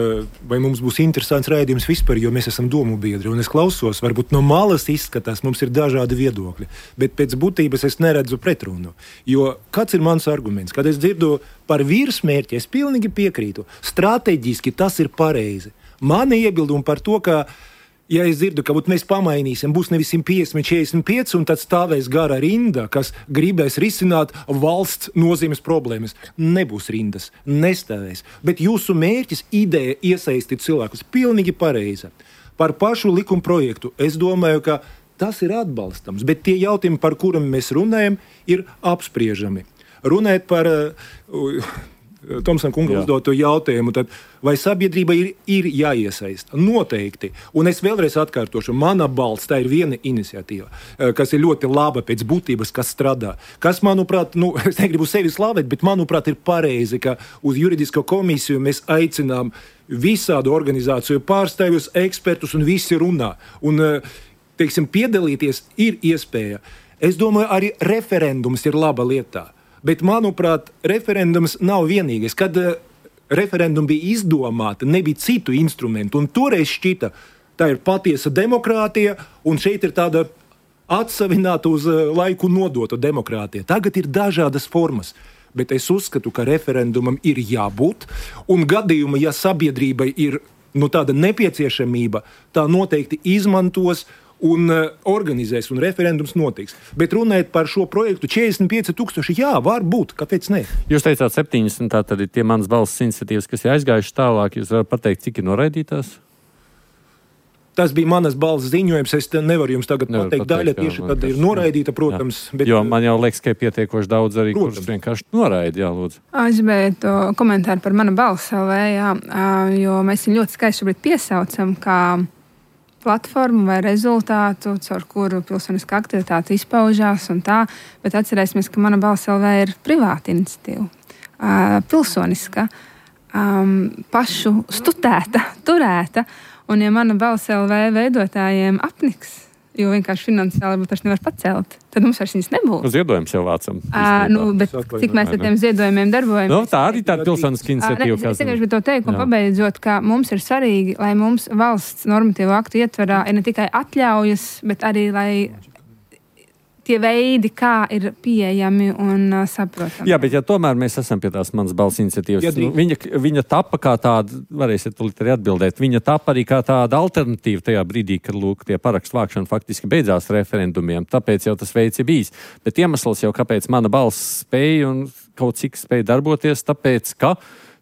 vai mums būs interesants raidījums vispār, jo mēs esam domu biedri, un es klausos, varbūt no malas izskatās, mums ir dažādi viedokļi, bet pēc būtības es neredzu pretrunu. Jo kāds ir mans arguments? Kad es dzirdu par virsmērķi, es pilnīgi piekrītu. Strateģiski tas ir pareizi. Mani iebildumi par to, ka ja es dzirdu, ka mēs pamainīsim, būs nevis simt piecdesmit četrdesmit pieci, un tad stāvēs gara rinda, kas gribēs risināt valsts nozīmes problēmas. Nebūs rindas, nestāvēs. Bet jūsu mērķis, ideja iesaistīt cilvēkus, pilnīgi pareiza. Par pašu likuma projektu es domāju, ka tas ir atbalstams, bet tie jautājumi, par kuriem mēs runājam, ir apspriežami. Runājot par uh, Tomsona kunga uzdoto jautājumu, tad vai sabiedrība ir, ir jāiesaista? Noteikti. Un es vēlreiz atkārtošu, mana balss, tā ir viena iniciatīva, kas ir ļoti laba pēc būtības, kas strādā. Kas, manuprāt, nu, es negribu sevi slavēt, bet, manuprāt, ir pareizi, ka uz juridisko komisiju mēs aicinām visādu organizāciju pārstāvjus, ekspertus, un visi runā. Un, teiksim, piedalīties ir iespēja. Es domāju, arī referendums ir laba lietā. Bet, manuprāt, referendums nav vienīgais. Kad uh, referendumi bija izdomāti, nebija citu instrumentu, un toreiz šķita, tā ir patiesa demokrātija, un šeit ir tāda atsavināta uz uh, laiku nodota demokrātija. Tagad ir dažādas formas, bet es uzskatu, ka referendumam ir jābūt, un gadījumā, ja sabiedrībai ir nu, tāda nepieciešamība, tā noteikti izmantos un uh, organizēs, un referendums notiks. Bet runājot par šo projektu, četrdesmit pieci tūkstoši, jā, var būt, kāpēc ne? Jūs teicāt septiņdesmit, tā tad ir tie manas balss iniciatīvas, kas ir aizgājuši tālāk. Jūs varat pateikt, cik ir noraidītās? Tas bija manas balss ziņojums, es nevaru jums tagad Nevar pateikt, pateikt daļa tieši tad ir noraidīta, protams. Bet, jo man jau liekas, ka ir pietiekoši daudz arī, protams, kurš vienkārši noraida, jā, lūdzu. Es gribētu komentāru par mana balss L V, jā, jo mēs viņu ļoti skaisti šobrīd piesaucam, kā platformu vai rezultātu, caur kuru pilsoniskā aktivitāte izpaužās un tā, bet atcerēsimies, ka mana balss L V ir privāta iniciatīva, uh, pilsoniska, um, pašu studēta, turēta, un ja mana balss L V veidotājiem apniks, jo vienkārši finansiāli vairs nevar pacelt, tad mums vairs viņas nebūs. Ziedojums jau vācam. Uh, nu, bet cik mēs ar tiem ziedojumiem darbojamies? No, tā arī tāda pilsoniska iniciatīva. Uh, es tikai gribu to teikt, un pabeidzot, ka mums ir svarīgi, lai mums valsts normatīvu aktu ietvarā ir ne tikai atļaujas, bet arī, lai tie veidi, kā ir pieejami un uh, saprotami. Jā, bet ja tomēr mēs esam pie tās manas balss iniciatīvas, ja, nu, viņa, viņa tapa kā tāda, varēsiet tulīt arī atbildēt, viņa tapa arī kā tāda alternatīva tajā brīdī, kad, lūk, tie parakstu vākšana faktiski beidzās referendumiem, tāpēc jau tas veids ir bijis. Bet iemesls jau, kāpēc mana balss spēja un kaut cik spēja darboties, tāpēc, ka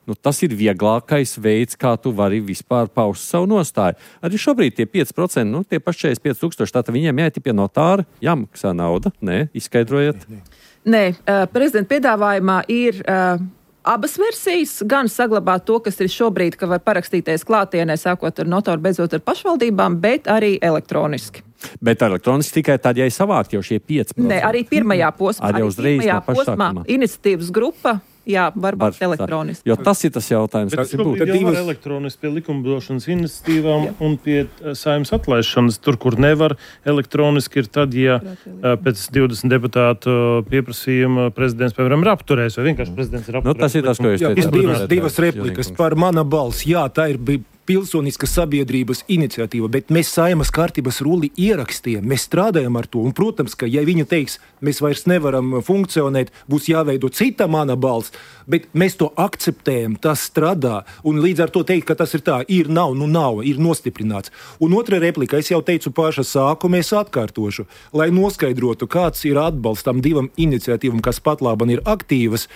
nu, tas ir vieglākais veids, kā tu vari vispār paust savu nostāju. Arī šobrīd tie pieci procenti, nu, tie paši četrdesmit pieci tūkstoši, tātad viņiem jāiet pie notāra, jāmaksā nauda. Nē, izskaidrojiet. Nē, nē. Uh, prezidenta piedāvājumā ir uh, abas versijas, gan saglabāt to, kas ir šobrīd, ka var parakstīties klātienē, sākot ar notāru, beidzot ar pašvaldībām, bet arī elektroniski. Bet elektroniski tikai tad, ja ir savākt jau šie pieci procenti. Nē, arī pirmajā posmā. Arī uzreiz pirmajā no paša posmā sākumā. Iniciatīvas grupa Jā, varbūt elektroniski. Jo tas ir tas jautājums, kas ir būtu. Tad divas elektroniski pie likumdošanas iniciatīvām Jā. un pie saimnes atlaišanas. Tur, kur nevar elektroniski, ir tad, ja pēc divdesmit deputātu pieprasījuma prezidents, piemēram, ir apturējis, vai vienkārši prezidents ir apturējis. Nu, tas ir tas, ko jūs teicat. Divas, divas replikas par mana balss. Jā, tā ir bija pilsoniska sabiedrības iniciatīva, bet mēs Saeimas kārtības rulli ierakstījām, mēs strādājam ar to, un, protams, ka, ja viņi teiks, mēs vairs nevaram funkcionēt, būs jāveido cita mana balss, bet mēs to akceptējam, tas strādā, un līdz ar to teikt, ka tas ir tā, ir, nav, nu nav, ir nostiprināts. Un otra replika, es jau teicu paša sākumu, es atkārtošu, lai noskaidrotu, kāds ir atbalsts tam divam iniciatīvam, kas pat laban ir aktīvas,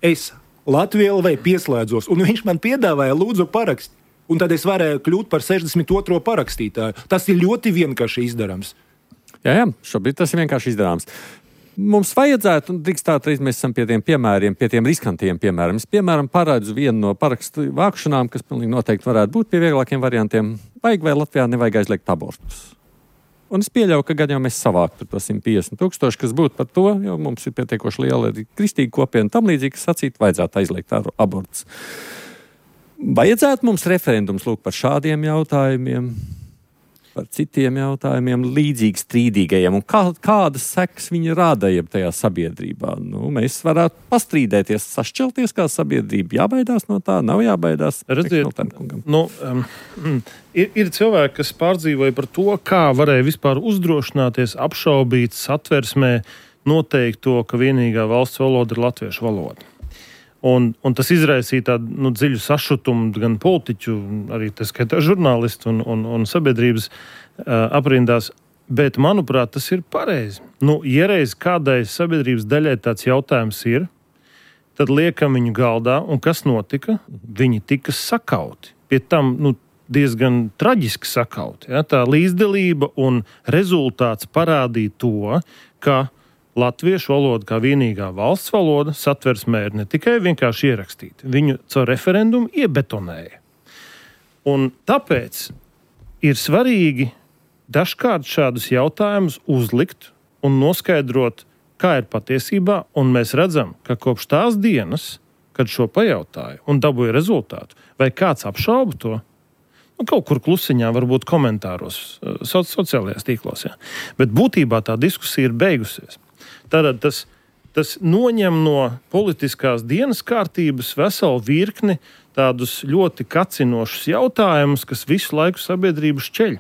es Latviju L V pieslēdzos, un viņš man piedāvāja lūdzu parakst. Un tad es varēju kļūt par sešdesmit otro parakstītāju. Tas ir ļoti vienkārši izdarāms. Jā, jā, šobrīd tas ir vienkārši izdarāms. Mums vajadzētu, un drīkstāt reiz mēs esam pie tiem piemēriem, pie tiem riskantiem piemēriem. Es, piemēram, parādzu vienu no parakstu vākšanām, kas pilnīgi noteikti varētu būt pie vieglākiem variantiem. Vajag vai Latvijā nevajag aizliegt abortus. Un es pieļauju, ka gan jau mēs savāktu to simt piecdesmit tūkstoši, kas būtu par to, jo mums ir pietiekoši liela arī kristīga kopiena tam līdzīgi, kas sacīt, vajadzētu aizliegt abortus. Vajadzētu mums referendums lūk par šādiem jautājumiem, par citiem jautājumiem, līdzīgi strīdīgajiem, un kā, kādas sekas viņi rāda jeb tajā sabiedrībā. Nu, mēs varētu pastrīdēties, sašķelties kā sabiedrība, jābaidās no tā, nav jābaidās. Redziet, nu, um, ir, ir cilvēki, kas pārdzīvoja par to, kā varēja vispār uzdrošināties, apšaubīt satversmē noteikto, ka vienīgā valsts valoda ir latviešu valoda. Un, un tas izraisīja tādu nu, dziļu sašutumu gan politiķu, arī tā skaitā žurnālistu un, un, un sabiedrības uh, aprindās. Bet, manuprāt, tas ir pareizi. Nu, ja reiz kādai sabiedrības daļai tāds jautājums ir, tad liekam viņu galdā, un kas notika? Viņi tika sakauti. Pie tam nu, diezgan traģiski sakauti. Ja? Tā līdzdalība un rezultāts parādīja to, ka latviešu valoda kā vienīgā valsts valoda satversmē ir ne tikai vienkārši ierakstīta, viņu caur referendumu iebetonēja. Un tāpēc ir svarīgi dažkārt šādus jautājumus uzlikt un noskaidrot, kā ir patiesībā, un mēs redzam, ka kopš tās dienas, kad šo pajautāju un dabūja rezultātu, vai kāds apšauba to, nu, kaut kur klusiņā, varbūt komentāros, so, sociālajās tīklos, ja. Bet būtībā tā diskusija ir beigusies. Tātad tas, tas noņem no politiskās dienas kārtības veselu virkni tādus ļoti kacinošus jautājumus, kas visu laiku sabiedrību šķeļ.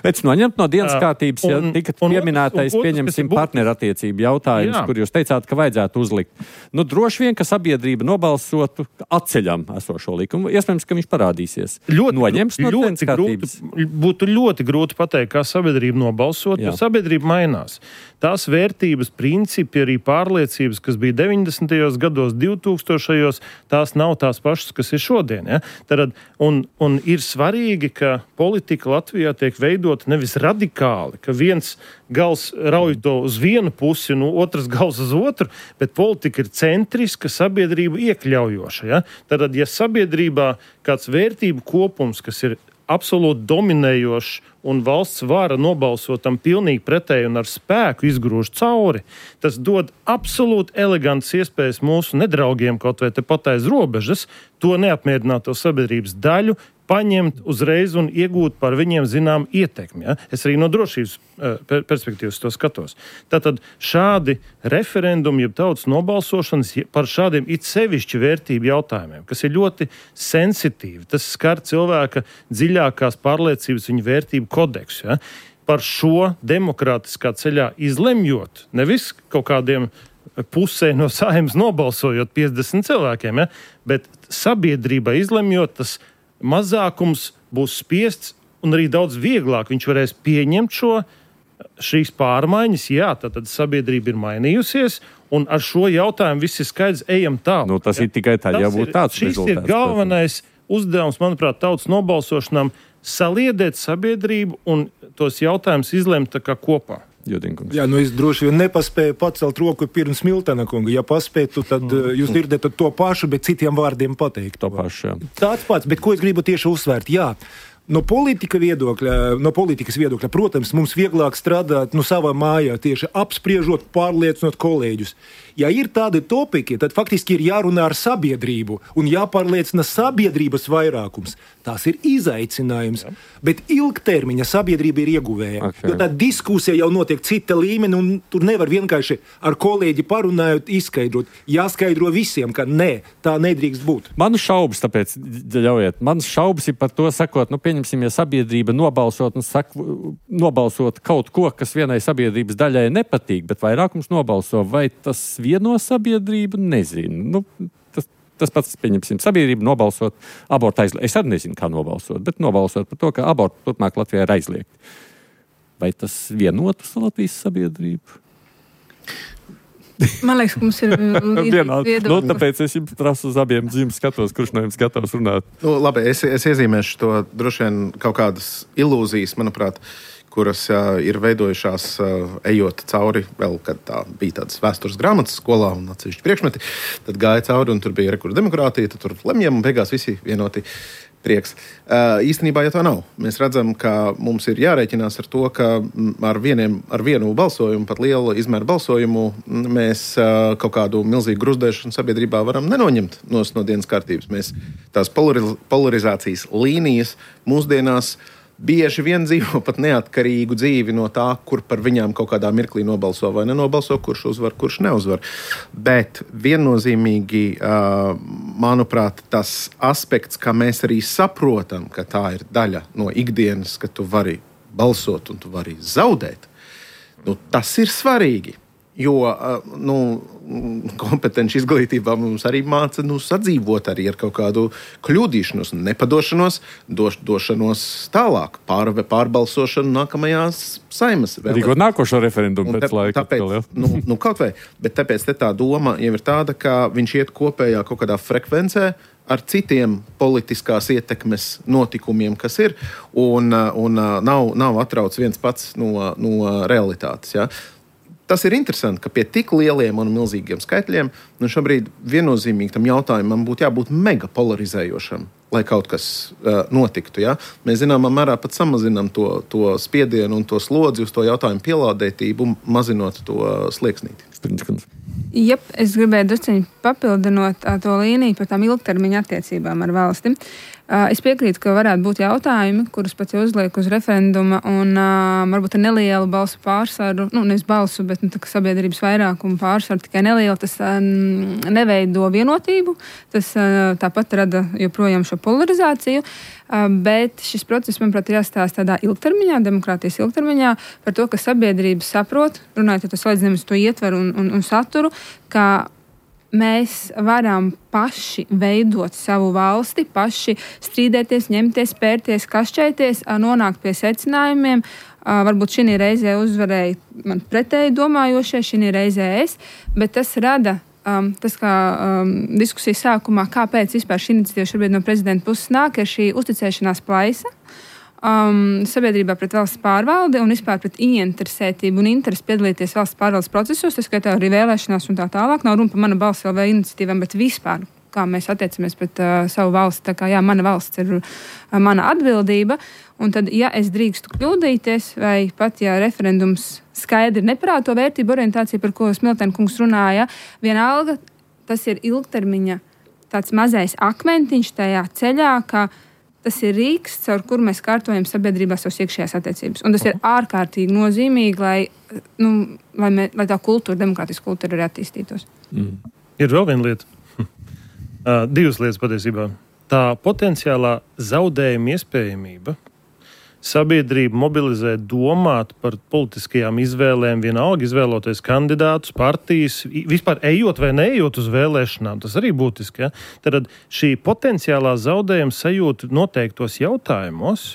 Bet noņemt no dienas kārtības, ja tika pieminētais, pieņemsim, partnerattiecību jautājums, jā. Kur jūs teicāt, ka vajadzētu uzlikt. Nu, droši vien, ka sabiedrība nobalsotu atceļam esošo likumu. Iespējams, ka viņš parādīsies. Ļoti, Noņems no dienas kārtības. Grūti, būtu ļoti grūti pateikt, kā sabiedrība nobalsot, jā. Jo sabiedrība mainās. Tās vērtības, principi, arī pārliecības, kas bija deviņdesmitajos gados, divtūkstošajos, tās nav tās pašas, kas ir šodien. Ja? Tad, un, un ir svarīgi, ka politika Latvijā tiek veidota nevis radikāli, ka viens gals rauj to uz vienu pusi, un otrs gals uz otru, bet politika ir centriska, sabiedrība iekļaujoša. Ja? Tad, ja sabiedrībā kāds vērtību kopums, kas ir absolūti dominējošs un valsts vara nobalsot tam pilnīgi pretēji un ar spēku izgrūž cauri, tas dod absolūti elegants iespējas mūsu nedraugiem kaut vai tepat aiz robežas to neapmierināto sabiedrības daļu paņemt uzreiz un iegūt par viņiem zinām ietekmi. Ja? Es arī no drošības uh, perspektīvas to skatos. Tātad šādi referendumi, jeb tautas nobalsošanas par šādiem it sevišķi vērtību jautājumiem, kas ir ļoti sensitīvi. Tas skar cilvēka dziļākās pārliecības viņa vērtību kodeksu. Ja? Par šo demokrātiskā ceļā izlemjot, nevis kaut kādiem pusē no Saeimas nobalsojot piecdesmit cilvēkiem, ja? Bet sabiedrība izlemjot, tas mazākums būs spiests un arī daudz vieglāk viņš varēs pieņemt šo, šīs pārmaiņas. Jā, tad sabiedrība ir mainījusies un ar šo jautājumu viss ir skaidrs, ejam tālāk. Nu, tas ja? Ir tikai tā, ja būtu tāds šis rezultāts. Šis ir galvenais uzdevums, manuprāt, tautas nobalsošanām saliedēt sabiedrību un tos jautājumus izlemt tā kā kopā. Jodinkungs. Jā, nu es droši vien nepaspēju pacelt roku pirms Miltena kunga. Ja paspētu, tad mm. jūs dzirdat to pašu, bet citiem vārdiem pateikt. To pašu, jā. Tāds pats, bet ko es gribu tieši uzsvērt? Jā, No, politika viedokļa, no politikas viedokļa, protams, mums vieglāk strādāt no savā mājā, tieši apspriežot, pārliecinot kolēģus. Ja ir tādi topiki, tad faktiski ir jārunā ar sabiedrību un jāpārliecina sabiedrības vairākums. Tās ir izaicinājums, jā. Bet ilgtermiņa sabiedrība ir ieguvēja. Okay. Jo tā diskusija jau notiek cita līmeni un tur nevar vienkārši ar kolēģi parunājot izskaidrot. Jāskaidro visiem, ka nē, tā nedrīkst būt. Man šaubas, tāpēc ļaujiet. Man šaubas ir par to sakot, nu pieņemsim, ja sabiedrība nobalsot un saka, nobalsot kaut ko, kas vienai sabiedrības daļai nepatīk, bet vairākums nobalso, vai tas vieno sabiedrību, nezinu. Nu, tas, tas pats, pieņemsim, sabiedrība nobalsot abortu aizliegt. Es arī nezinu, kā nobalsot, bet nobalsot par to, ka abortu turpmāk Latvijā ir aizliegt. Vai tas vienotu Latvijas sabiedrību? Man liekas, ka mums ir viedokļi. Nu, tāpēc es jums prasu uz abiem zīmes skatos, kurš no jums gatavs runāt. Nu, labi, es, es iezīmēšu to droši vien kaut kādas ilūzijas, manuprāt, kuras uh, ir veidojušās uh, ejot cauri, vēl, kad tā bija tādas vēstures grāmatas skolā un atsevišķi priekšmeti, tad gāja cauri un tur bija rekurda demokrātija, tad tur lemjam un beigās visi vienoti prieks. Uh, īstenībā, ja tā nav, mēs redzam, ka mums ir jārēķinās ar to, ka ar, vieniem, ar vienu balsojumu, pat lielu izmēru balsojumu, mēs uh, kaut kādu milzīgu gruzdēšanu sabiedrībā varam nenoņemt no, no dienas kārtības. Mēs tās polariz, polarizācijas līnijas mūsdienās bieži vien dzīvo pat neatkarīgu dzīvi no tā, kur par viņām kaut kādā mirklī nobalso vai nenobalso, kurš uzvar, kurš neuzvar. Bet viennozīmīgi, manuprāt, tas aspekts, kā mēs arī saprotam, ka tā ir daļa no ikdienas, ka tu vari balsot un tu vari zaudēt, nu, tas ir svarīgi. Jo nu, kompetenci izglītībā mums arī māca nu, sadzīvot arī ar kaut kādu kļūdīšanos, nepadošanos, doš, došanos tālāk, pār, pārbalsošanu nākamajās saimas. Rīkot nākošo referendumu pēc te, laika. Tāpēc, atkal, nu, nu, kaut vai, bet tāpēc te tā doma jau ir tāda, ka viņš iet kopējā kaut kādā frekvencē ar citiem politiskās ietekmes notikumiem, kas ir, un, un nav, nav atrauc viens pats no, no realitātes, ja? Tas ir interesanti, ka pie tik lieliem un milzīgiem skaitļiem nu šobrīd viennozīmīgi tam jautājumam būtu jābūt mega polarizējošam, lai kaut kas uh, notiktu. Ja? Mēs zināmā mērā pat samazinām to, to spiedienu un to slodzi uz to jautājumu pielādētību, mazinot to uh, slieksnīti. Jep, es gribēju drusciņi papildinot to līniju par tām ilgtermiņa attiecībām ar valsti. Es piekrītu, ka varētu būt jautājumi, kurus pats jau uzliek uz referenduma un uh, varbūt ar nelielu balsu pārsvaru, nu, nevis balsu, bet nu, tā, sabiedrības vairākumu pārsvaru, tikai nelielu, tas uh, neveido vienotību, tas uh, tāpat rada joprojām šo polarizāciju, uh, bet šis process, manuprāt, ir jāstāsta tādā ilgtermiņā, demokrātijas ilgtermiņā, par to, ka sabiedrība saprot, runājot, ja tas salīdzinām uz to ietveru un, un, un saturu, ka mēs varam paši veidot savu valsti, paši strīdēties, ņemties, pērties, kašķēties, nonākt pie secinājumiem. Varbūt šī reizē uzvarēja man pretēji domājošie, šī reizē es, bet tas rada, um, tas kā um, diskusijas sākumā, kāpēc vispār šī iniciatīva šobrīd no prezidenta puses nāk, ir šī uzticēšanās plaisa. Um, sabiedrībā pret valsts pārvaldi un vispār pret ieinteresētību un interesi piedalīties valsts pārvaldes procesos, tas skaitā arī vēlēšanās un tā tālāk. Nav runa par mana balss L V iniciatīvām, bet vispār, kā mēs attiecamies pret uh, savu valsti. Tā kā jā, mana valsts ir uh, mana atbildība. Un tad, ja es drīkstu kļūdīties, vai pat, ja referendums skaidri neparāda to vērtību orientāciju, par ko Smiltēna kungs runāja, vienalga, tas ir ilgtermiņa tāds mazais akmentiņš tajā ceļā, ka tas ir rīks, caur kuru mēs kārtojam sabiedrībā savas iekšējās attiecības. Un tas ir ārkārtīgi nozīmīgi, lai, nu, lai, mē, lai tā kultūra, demokrātiskā kultūra arī attīstītos. Mm. Ir vēl viena lieta. uh, divas lietas patiesībā. Tā potenciālā zaudējuma iespējamība sabiedrību mobilizē domāt par politiskajām izvēlēm, vienalga izvēloties kandidātus, partijas, vispār ejot vai neejot uz vēlēšanām. Tas arī būtiski. Ja? Tad šī potenciālā zaudējuma sajūta noteiktos jautājumos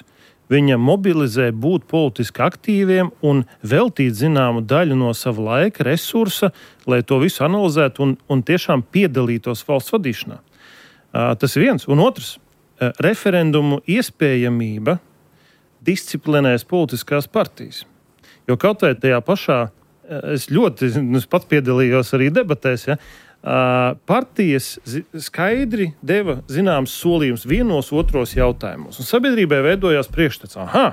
viņa mobilizē būt politiski aktīviem un veltīt zināmu daļu no sava laika, resursa, lai to visu analizētu un, un tiešām piedalītos valsts vadīšanā. Uh, tas ir viens. Un otrs, uh, referendumu iespējamība disciplinēs politiskās partijas. Jo kaut vai tajā pašā, es ļoti, es pats piedalījos arī debatēs, ja, Uh, partijas zi- skaidri deva zināms solījums vienos otros jautājumos. Un sabiedrībai veidojās priekšstats. Aha,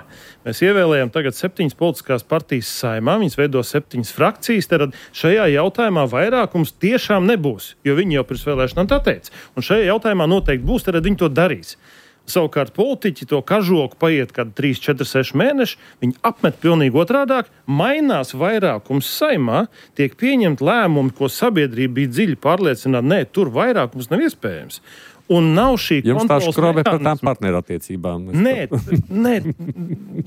mēs ievēlējam tagad septiņas politiskās partijas saimā, viņas veido septiņas frakcijas, tad šajā jautājumā vairākums tiešām nebūs, jo viņi jau pirms vēlēšanām tā teica. Un šajā jautājumā noteikti būs, tad viņi to darīs. Savukārt politiķi to kažoku paiet kādi trīs, četri, seši mēneši, viņi apmet pilnīgi otrādāk, mainās vairākums saimā, tiek pieņemt lēmumi, ko sabiedrība bija dziļi pārliecināta, nē, tur vairākums nav iespējams. Un nav šī Jums tā kontrols škrobe par tām mehānisma. partnerattiecībām. Nē, nē,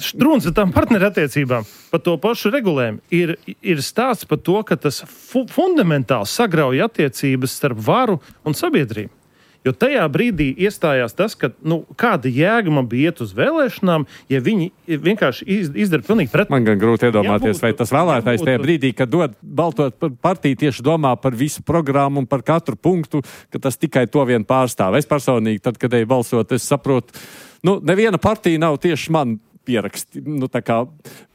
struns ar tām partnerattiecībām, par to pašu regulējumu, ir, ir stāsts par to, ka tas fu- fundamentāli sagrauj attiecības starp varu un sabiedrību. Jo tajā brīdī iestājās tas, ka nu, kāda jēga man bija iet uz vēlēšanām, ja viņi vienkārši iz, izdara pilnīgi pretēji. Man gan grūti iedomāties, Ja būtu- vai tas vēlētājs ja tajā būtu- brīdī, kad dod baltot par partiju, tieši domā par visu programmu un par katru punktu, ka tas tikai to vien pārstāv. Es personīgi, tad, kad eju balsot, es saprotu, nu, neviena partija nav tieši man pieraksti, nu, tā kā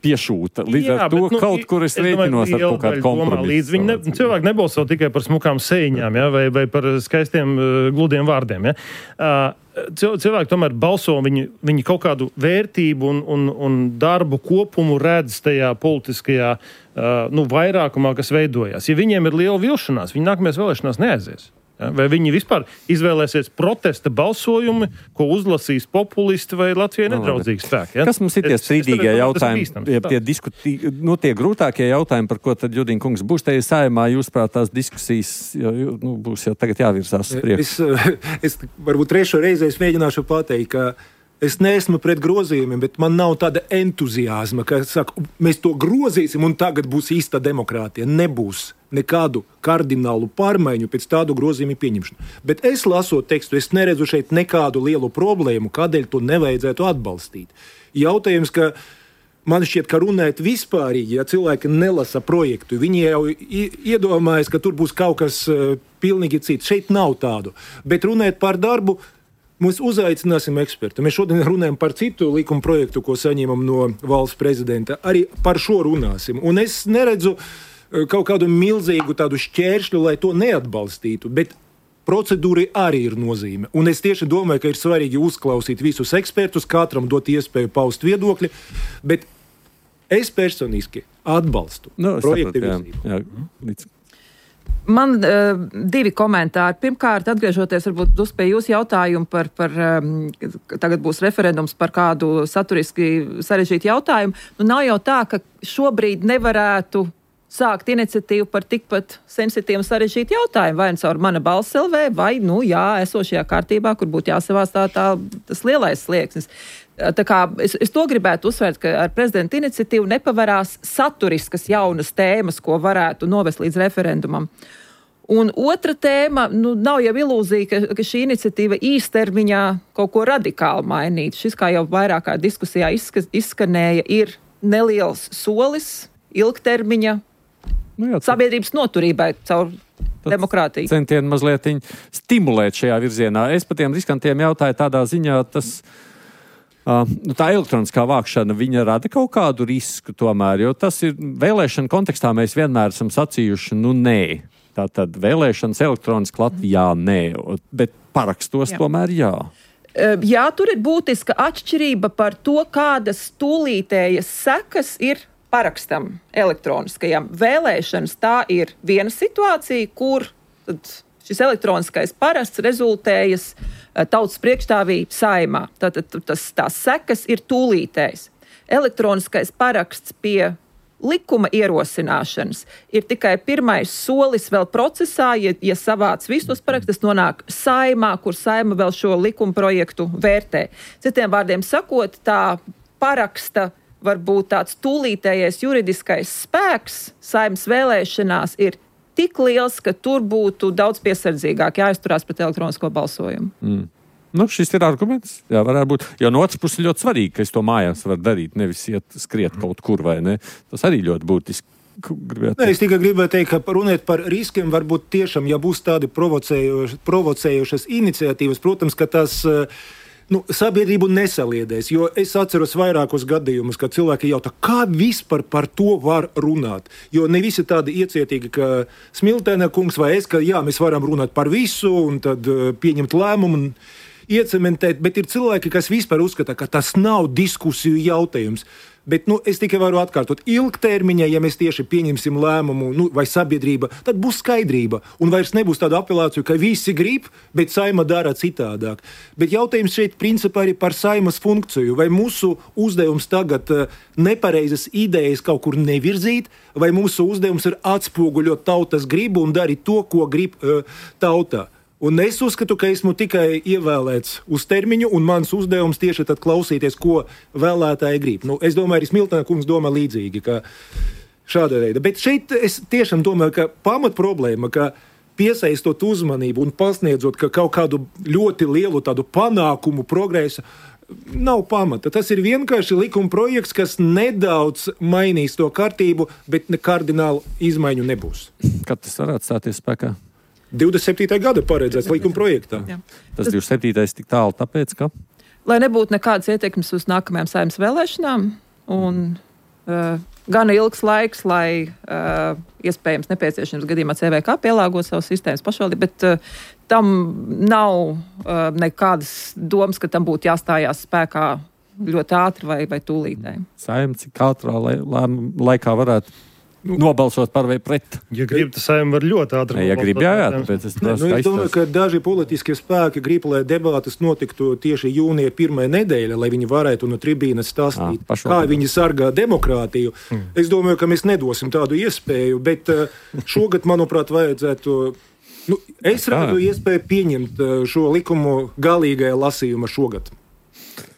piešūta. Līdz Jā, ar to bet, nu, kaut kur es rēķinos ar kaut kādu kompromisu. Viņi ne, cilvēki nebalso tikai par smukām sēņām, ja, vai, vai par skaistiem, uh, gludiem vārdiem. Ja. Uh, cil- cilvēki tomēr balso, viņi, viņi kaut kādu vērtību un, un, un darbu kopumu redz tajā politiskajā uh, nu, vairākumā, kas veidojās. Ja viņiem ir liela vilšanās, viņi nākamajās vēlēšanās neaizies. Ja, vai viņi vispār izvēlēsies protesta balsojumi, ko uzlasīs populisti vai Latvijai nedraudzīgi spēki? Ja? Kas mums ir tie Es- es strīdīgie domāju, tas ir jautājumi, bīstams. ja tie, diskutī, nu, tie grūtākie jautājumi, par ko tad Judīna kungs būs tajā saimā, jūs prāt tās diskusijas jo, jo, nu, būs jau tagad jāvirzās uz priekšu? Es, es varbūt trešo reizi es mēģināšu pateikt, ka es neesmu pret grozījumiem, bet man nav tāda entuziasma, ka saka, mēs to grozīsim un tagad būs īsta demokrātija. Nebūs nekādu kardinālu pārmaiņu pēc tādu grozījumu pieņemšanu. Bet es lasot tekstu, es neredzu šeit nekādu lielu problēmu, kādēļ to nevajadzētu atbalstīt. Jautājums, ka man šķiet, ka runājot vispārīgi, ja cilvēki nelasa projektu, viņi jau i- iedomājas, ka tur būs kaut kas uh, pilnīgi cits. Šeit nav tādu. Bet runājot par darbu, mēs uzaicināsim ekspertu. Mēs šodien runājam par citu likuma projektu, ko saņemam no valsts prezidenta. Arī par šo runāsim. Un es neredzu uh, kaut kādu milzīgu tādu šķēršļu, lai to neatbalstītu. Bet procedūrai arī ir nozīme. Un es tieši domāju, ka ir svarīgi uzklausīt visus ekspertus, katram dot iespēju paust viedokļi. Bet es personiski atbalstu Nu, es projektu sapratu, jā, virzību. jā, līdz- Man uh, divi komentāri. Pirmkārt, atgriežoties varbūt uz pie jūsu jautājumu par, par um, tagad būs referendums par kādu saturiski sarežģītu jautājumu. Nu, nav jau tā, ka šobrīd nevarētu sākt iniciatīvu par tikpat sensitīvu un sarežģītu jautājumu. Vai nu caur mana balss L V, vai, nu, jā, esošajā kārtībā, kur būtu jāsavās tā, tā, tas lielais slieksnis. Tā kā es, es to gribētu uzsvērt, ka ar prezidenta iniciatīvu nepavarās saturiskas jaunas tēmas, ko varētu novest līdz referendumam. Un otra tēma, nu, nav jau ilūzija, ka, ka šī iniciatīva īstermiņā kaut ko radikāli mainīt. Šis, kā jau vairākā diskusijā izska, izskanēja, ir neliels solis ilgtermiņa Nu, jā, sabiedrības noturībai caur demokrātiju. Centieni mazliet stimulēt šajā virzienā. Es par tiem riskantiem jautāju tādā ziņā, tas, uh, nu, tā elektroniskā vākšana, viņa rada kaut kādu risku tomēr, jo tas ir vēlēšana kontekstā mēs vienmēr esam sacījuši, nu nē. Tātad vēlēšanas elektroniski Latvijā nē, bet parakstos jā. Tomēr jā. Jā, tur ir būtiska atšķirība par to, kādas tūlītējas sekas ir parakstam elektroniskajam. Vēlēšanas tā ir viena situācija, kur tad šis elektroniskais parasts rezultējas tautas priekšstāvī saimā. Tātad tas, tās sekas ir tūlītējas. Elektroniskais paraksts pie likuma ierosināšanas ir tikai pirmais solis vēl procesā, ja, ja savāc visus parakstus, nonāk saimā, kur saima vēl šo likuma projektu vērtē. Citiem vārdiem sakot, tā paraksta varbūt tāds tūlītējais juridiskais spēks saimnes vēlēšanās ir tik liels, ka tur būtu daudz piesardzīgāk jāizturās pret elektronisko balsojumu. Mm. Nu, šis ir arguments. Jā, varētu būt. Jo no otras puses ļoti svarīgi, ka es to mājās varu darīt, nevis iet skriet kaut kur vai ne. Tas arī ļoti būtiski. Nē, es tikai gribēju teikt, ka runāt par riskiem varbūt tiešām, ja būs tādi provocējušas, provocējušas iniciatīvas, protams, ka tas nu, sabiedrību nesaliedēs, jo es atceros vairākus gadījumus, kad cilvēki jautā, kā vispār par to var runāt. Jo ne visi tādi iecietīgi, ka Smiltēna kungs vai es, ka jā, mēs varam runāt par visu un tad uh, pieņemt lēmumu un iecementēt, bet ir cilvēki, kas vispār uzskata, ka tas nav diskusiju jautājums. Bet nu, es tikai varu atkārtot, ilgtermiņā, ja mēs tieši pieņemsim lēmumu nu, vai sabiedrība, tad būs skaidrība. Un vairs nebūs tāda apelācija, ka visi grib, bet Saima dara citādāk. Bet jautājums šeit principā ir par Saimas funkciju. Vai mūsu uzdevums tagad uh, nepareizas idejas kaut kur nevirzīt, vai mūsu uzdevums ir atspoguļot tautas gribu un darīt to, ko grib uh, tautā. Un es uzskatu, ka esmu tikai ievēlēts uz termiņu, un mans uzdevums tieši tad klausīties, ko vēlētāji grib. Nu, es domāju, arī Smiltēna kungs domā līdzīgi, ka šāda veida. Bet šeit es tiešām domāju, ka pamat problēma, ka piesaistot uzmanību un pasniedzot ka kaut kādu ļoti lielu tādu panākumu, progresu, nav pamata. Tas ir vienkārši likuma projekts, kas nedaudz mainīs to kārtību, bet ne kardinālu izmaiņu nebūs. Kad tas varētu stāties spēkā? divdesmit septītā gada paredzēts likuma projektā. Jā. Tas divdesmit septītais tik tālu, tāpēc, ka? Lai nebūtu nekādas ietekmes uz nākamajām Saeimas vēlēšanām un uh, gan ilgs laiks, lai uh, iespējams nepieciešams gadījumā C V K pielāgot savus sistēmas pašvaldību, bet uh, tam nav uh, nekādas domas, ka tam būtu jāstājās spēkā ļoti ātri vai, vai tūlītēji. Saeima cik ātrā lai, lai, laikā varētu nobalsot par vai pret. Ja grib, tas Saeima var ļoti ātri. Ja grib, jā, jā, tāpēc es ne, nu, es domāju, ka daži politiskie spēki grib, lai debātas notiktu tieši jūnija pirmā nedēļa, lai viņi varētu no tribīnas stāstīt, à, kā viņi sargā demokrātiju. Hmm. Es domāju, ka mēs nedosim tādu iespēju, bet šogad, manuprāt, vajadzētu... Nu, es rādu iespēju pieņemt šo likumu galīgajā lasījuma šogad.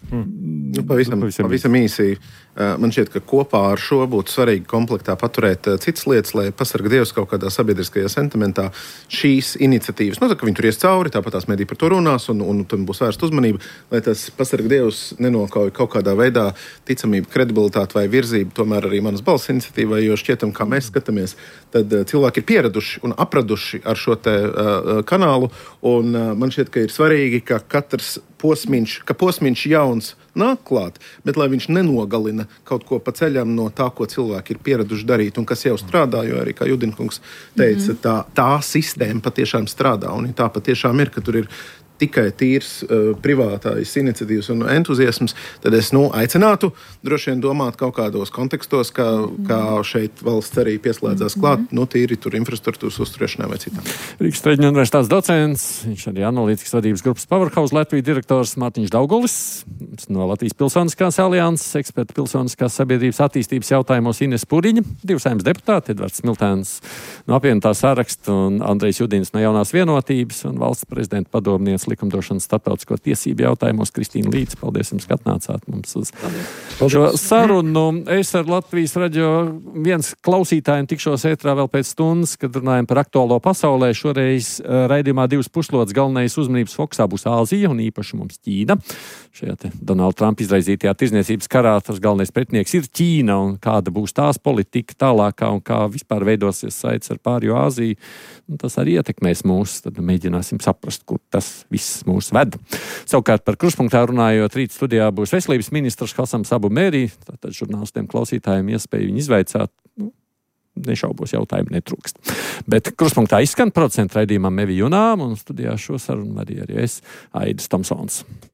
Hmm. Nu, pavisam, pavisam īsi. Man šķiet, ka kopā ar šo būtu svarīgi komplektā paturēt citas lietas, lai pasargā Dievs kaut kādā sabiedriskajā sentimentā šīs iniciatīvas. Nu, tā, ka viņi tur ies cauri, tāpat tās mediji par to runās, un, un tam būs vērsta uzmanība, lai tas pasargā Dievs nenokauj kaut kādā veidā ticamību, kredibilitāti vai virzību, tomēr arī manas balss iniciatīvai, jo šķietam, kā mēs skatāmies, tad cilvēki ir pieraduši un apraduši ar šo te uh, kanālu, un uh, man šķiet, ka ir svarīgi, ka katrs posmiņš, ka posmiņš jauns nāk klāt, bet lai viņš nenogalina kaut ko pa ceļam no tā, ko cilvēki ir pieraduši darīt un kas jau strādā, jo arī, kā Judinkungs teica, mm-hmm. tā, tā sistēma patiešām strādā, un tā patiešām ir, ka tur ir tikai tīrs uh, privātās iniciatīvas un entuziasms, tad es nu, aicinātu droši vien domāt kaut kādos kontekstos, kā, kā šeit valsts arī pieslēdzās klāt, nu tīri tur infrastruktūras uzturēšanai vai citām. Rīgas Traģiņu universitātes docents, viņš arī analītikas vadības grupas Powerhouse Latvijas direktors Mārtiņš Daugulis, no Latvijas Pilsoniskās alianses, eksperta pilsoniskās sabiedrības attīstības jautājumos Ines Puriņa, divi Saeimas deputāti, Edvards Smiltēns no apvienotā saraksta un Andrejs Judins no Jaunās vienotības un valsts prezidenta padomniece likumdošanas starptautisko tiesību jautājumos Kristīna Līdz. Paldies jums, ka atnācāt mums uz Paldies. Šo sarunu. Es ar Latvijas radio viens klausītājiem tikšos ētrā vēl pēc stundas, kad runājam par aktuālo pasaulē. Šoreiz raidījumā divas puslodes galvenais uzmanības fokusā būs Āzija un īpaši mums Ķīna. Šajā te Donalda Trumpa izraizītajā tirzniecības karā tas galvenais pretinieks ir Ķīna un kāda būs tās politika tālākā un kā vispār veidosies saites ar pārējo Āziju. Un tas arī ietekmēs mūs, tad mēģināsim saprast, kur tas viss mūs ved. Savukārt par kruspunktā runājot, rīt studijā būs veselības ministrs Hasams Abu Mērī, tātad žurnālistiem klausītājiem iespēju viņu izvaicāt, nu, nešaubos jautājumu netrūkst. Bet kruspunktā izskan procentu raidījumam Mevi Junām un studijā šo sarunu arī, arī es, Aidis Tomsons.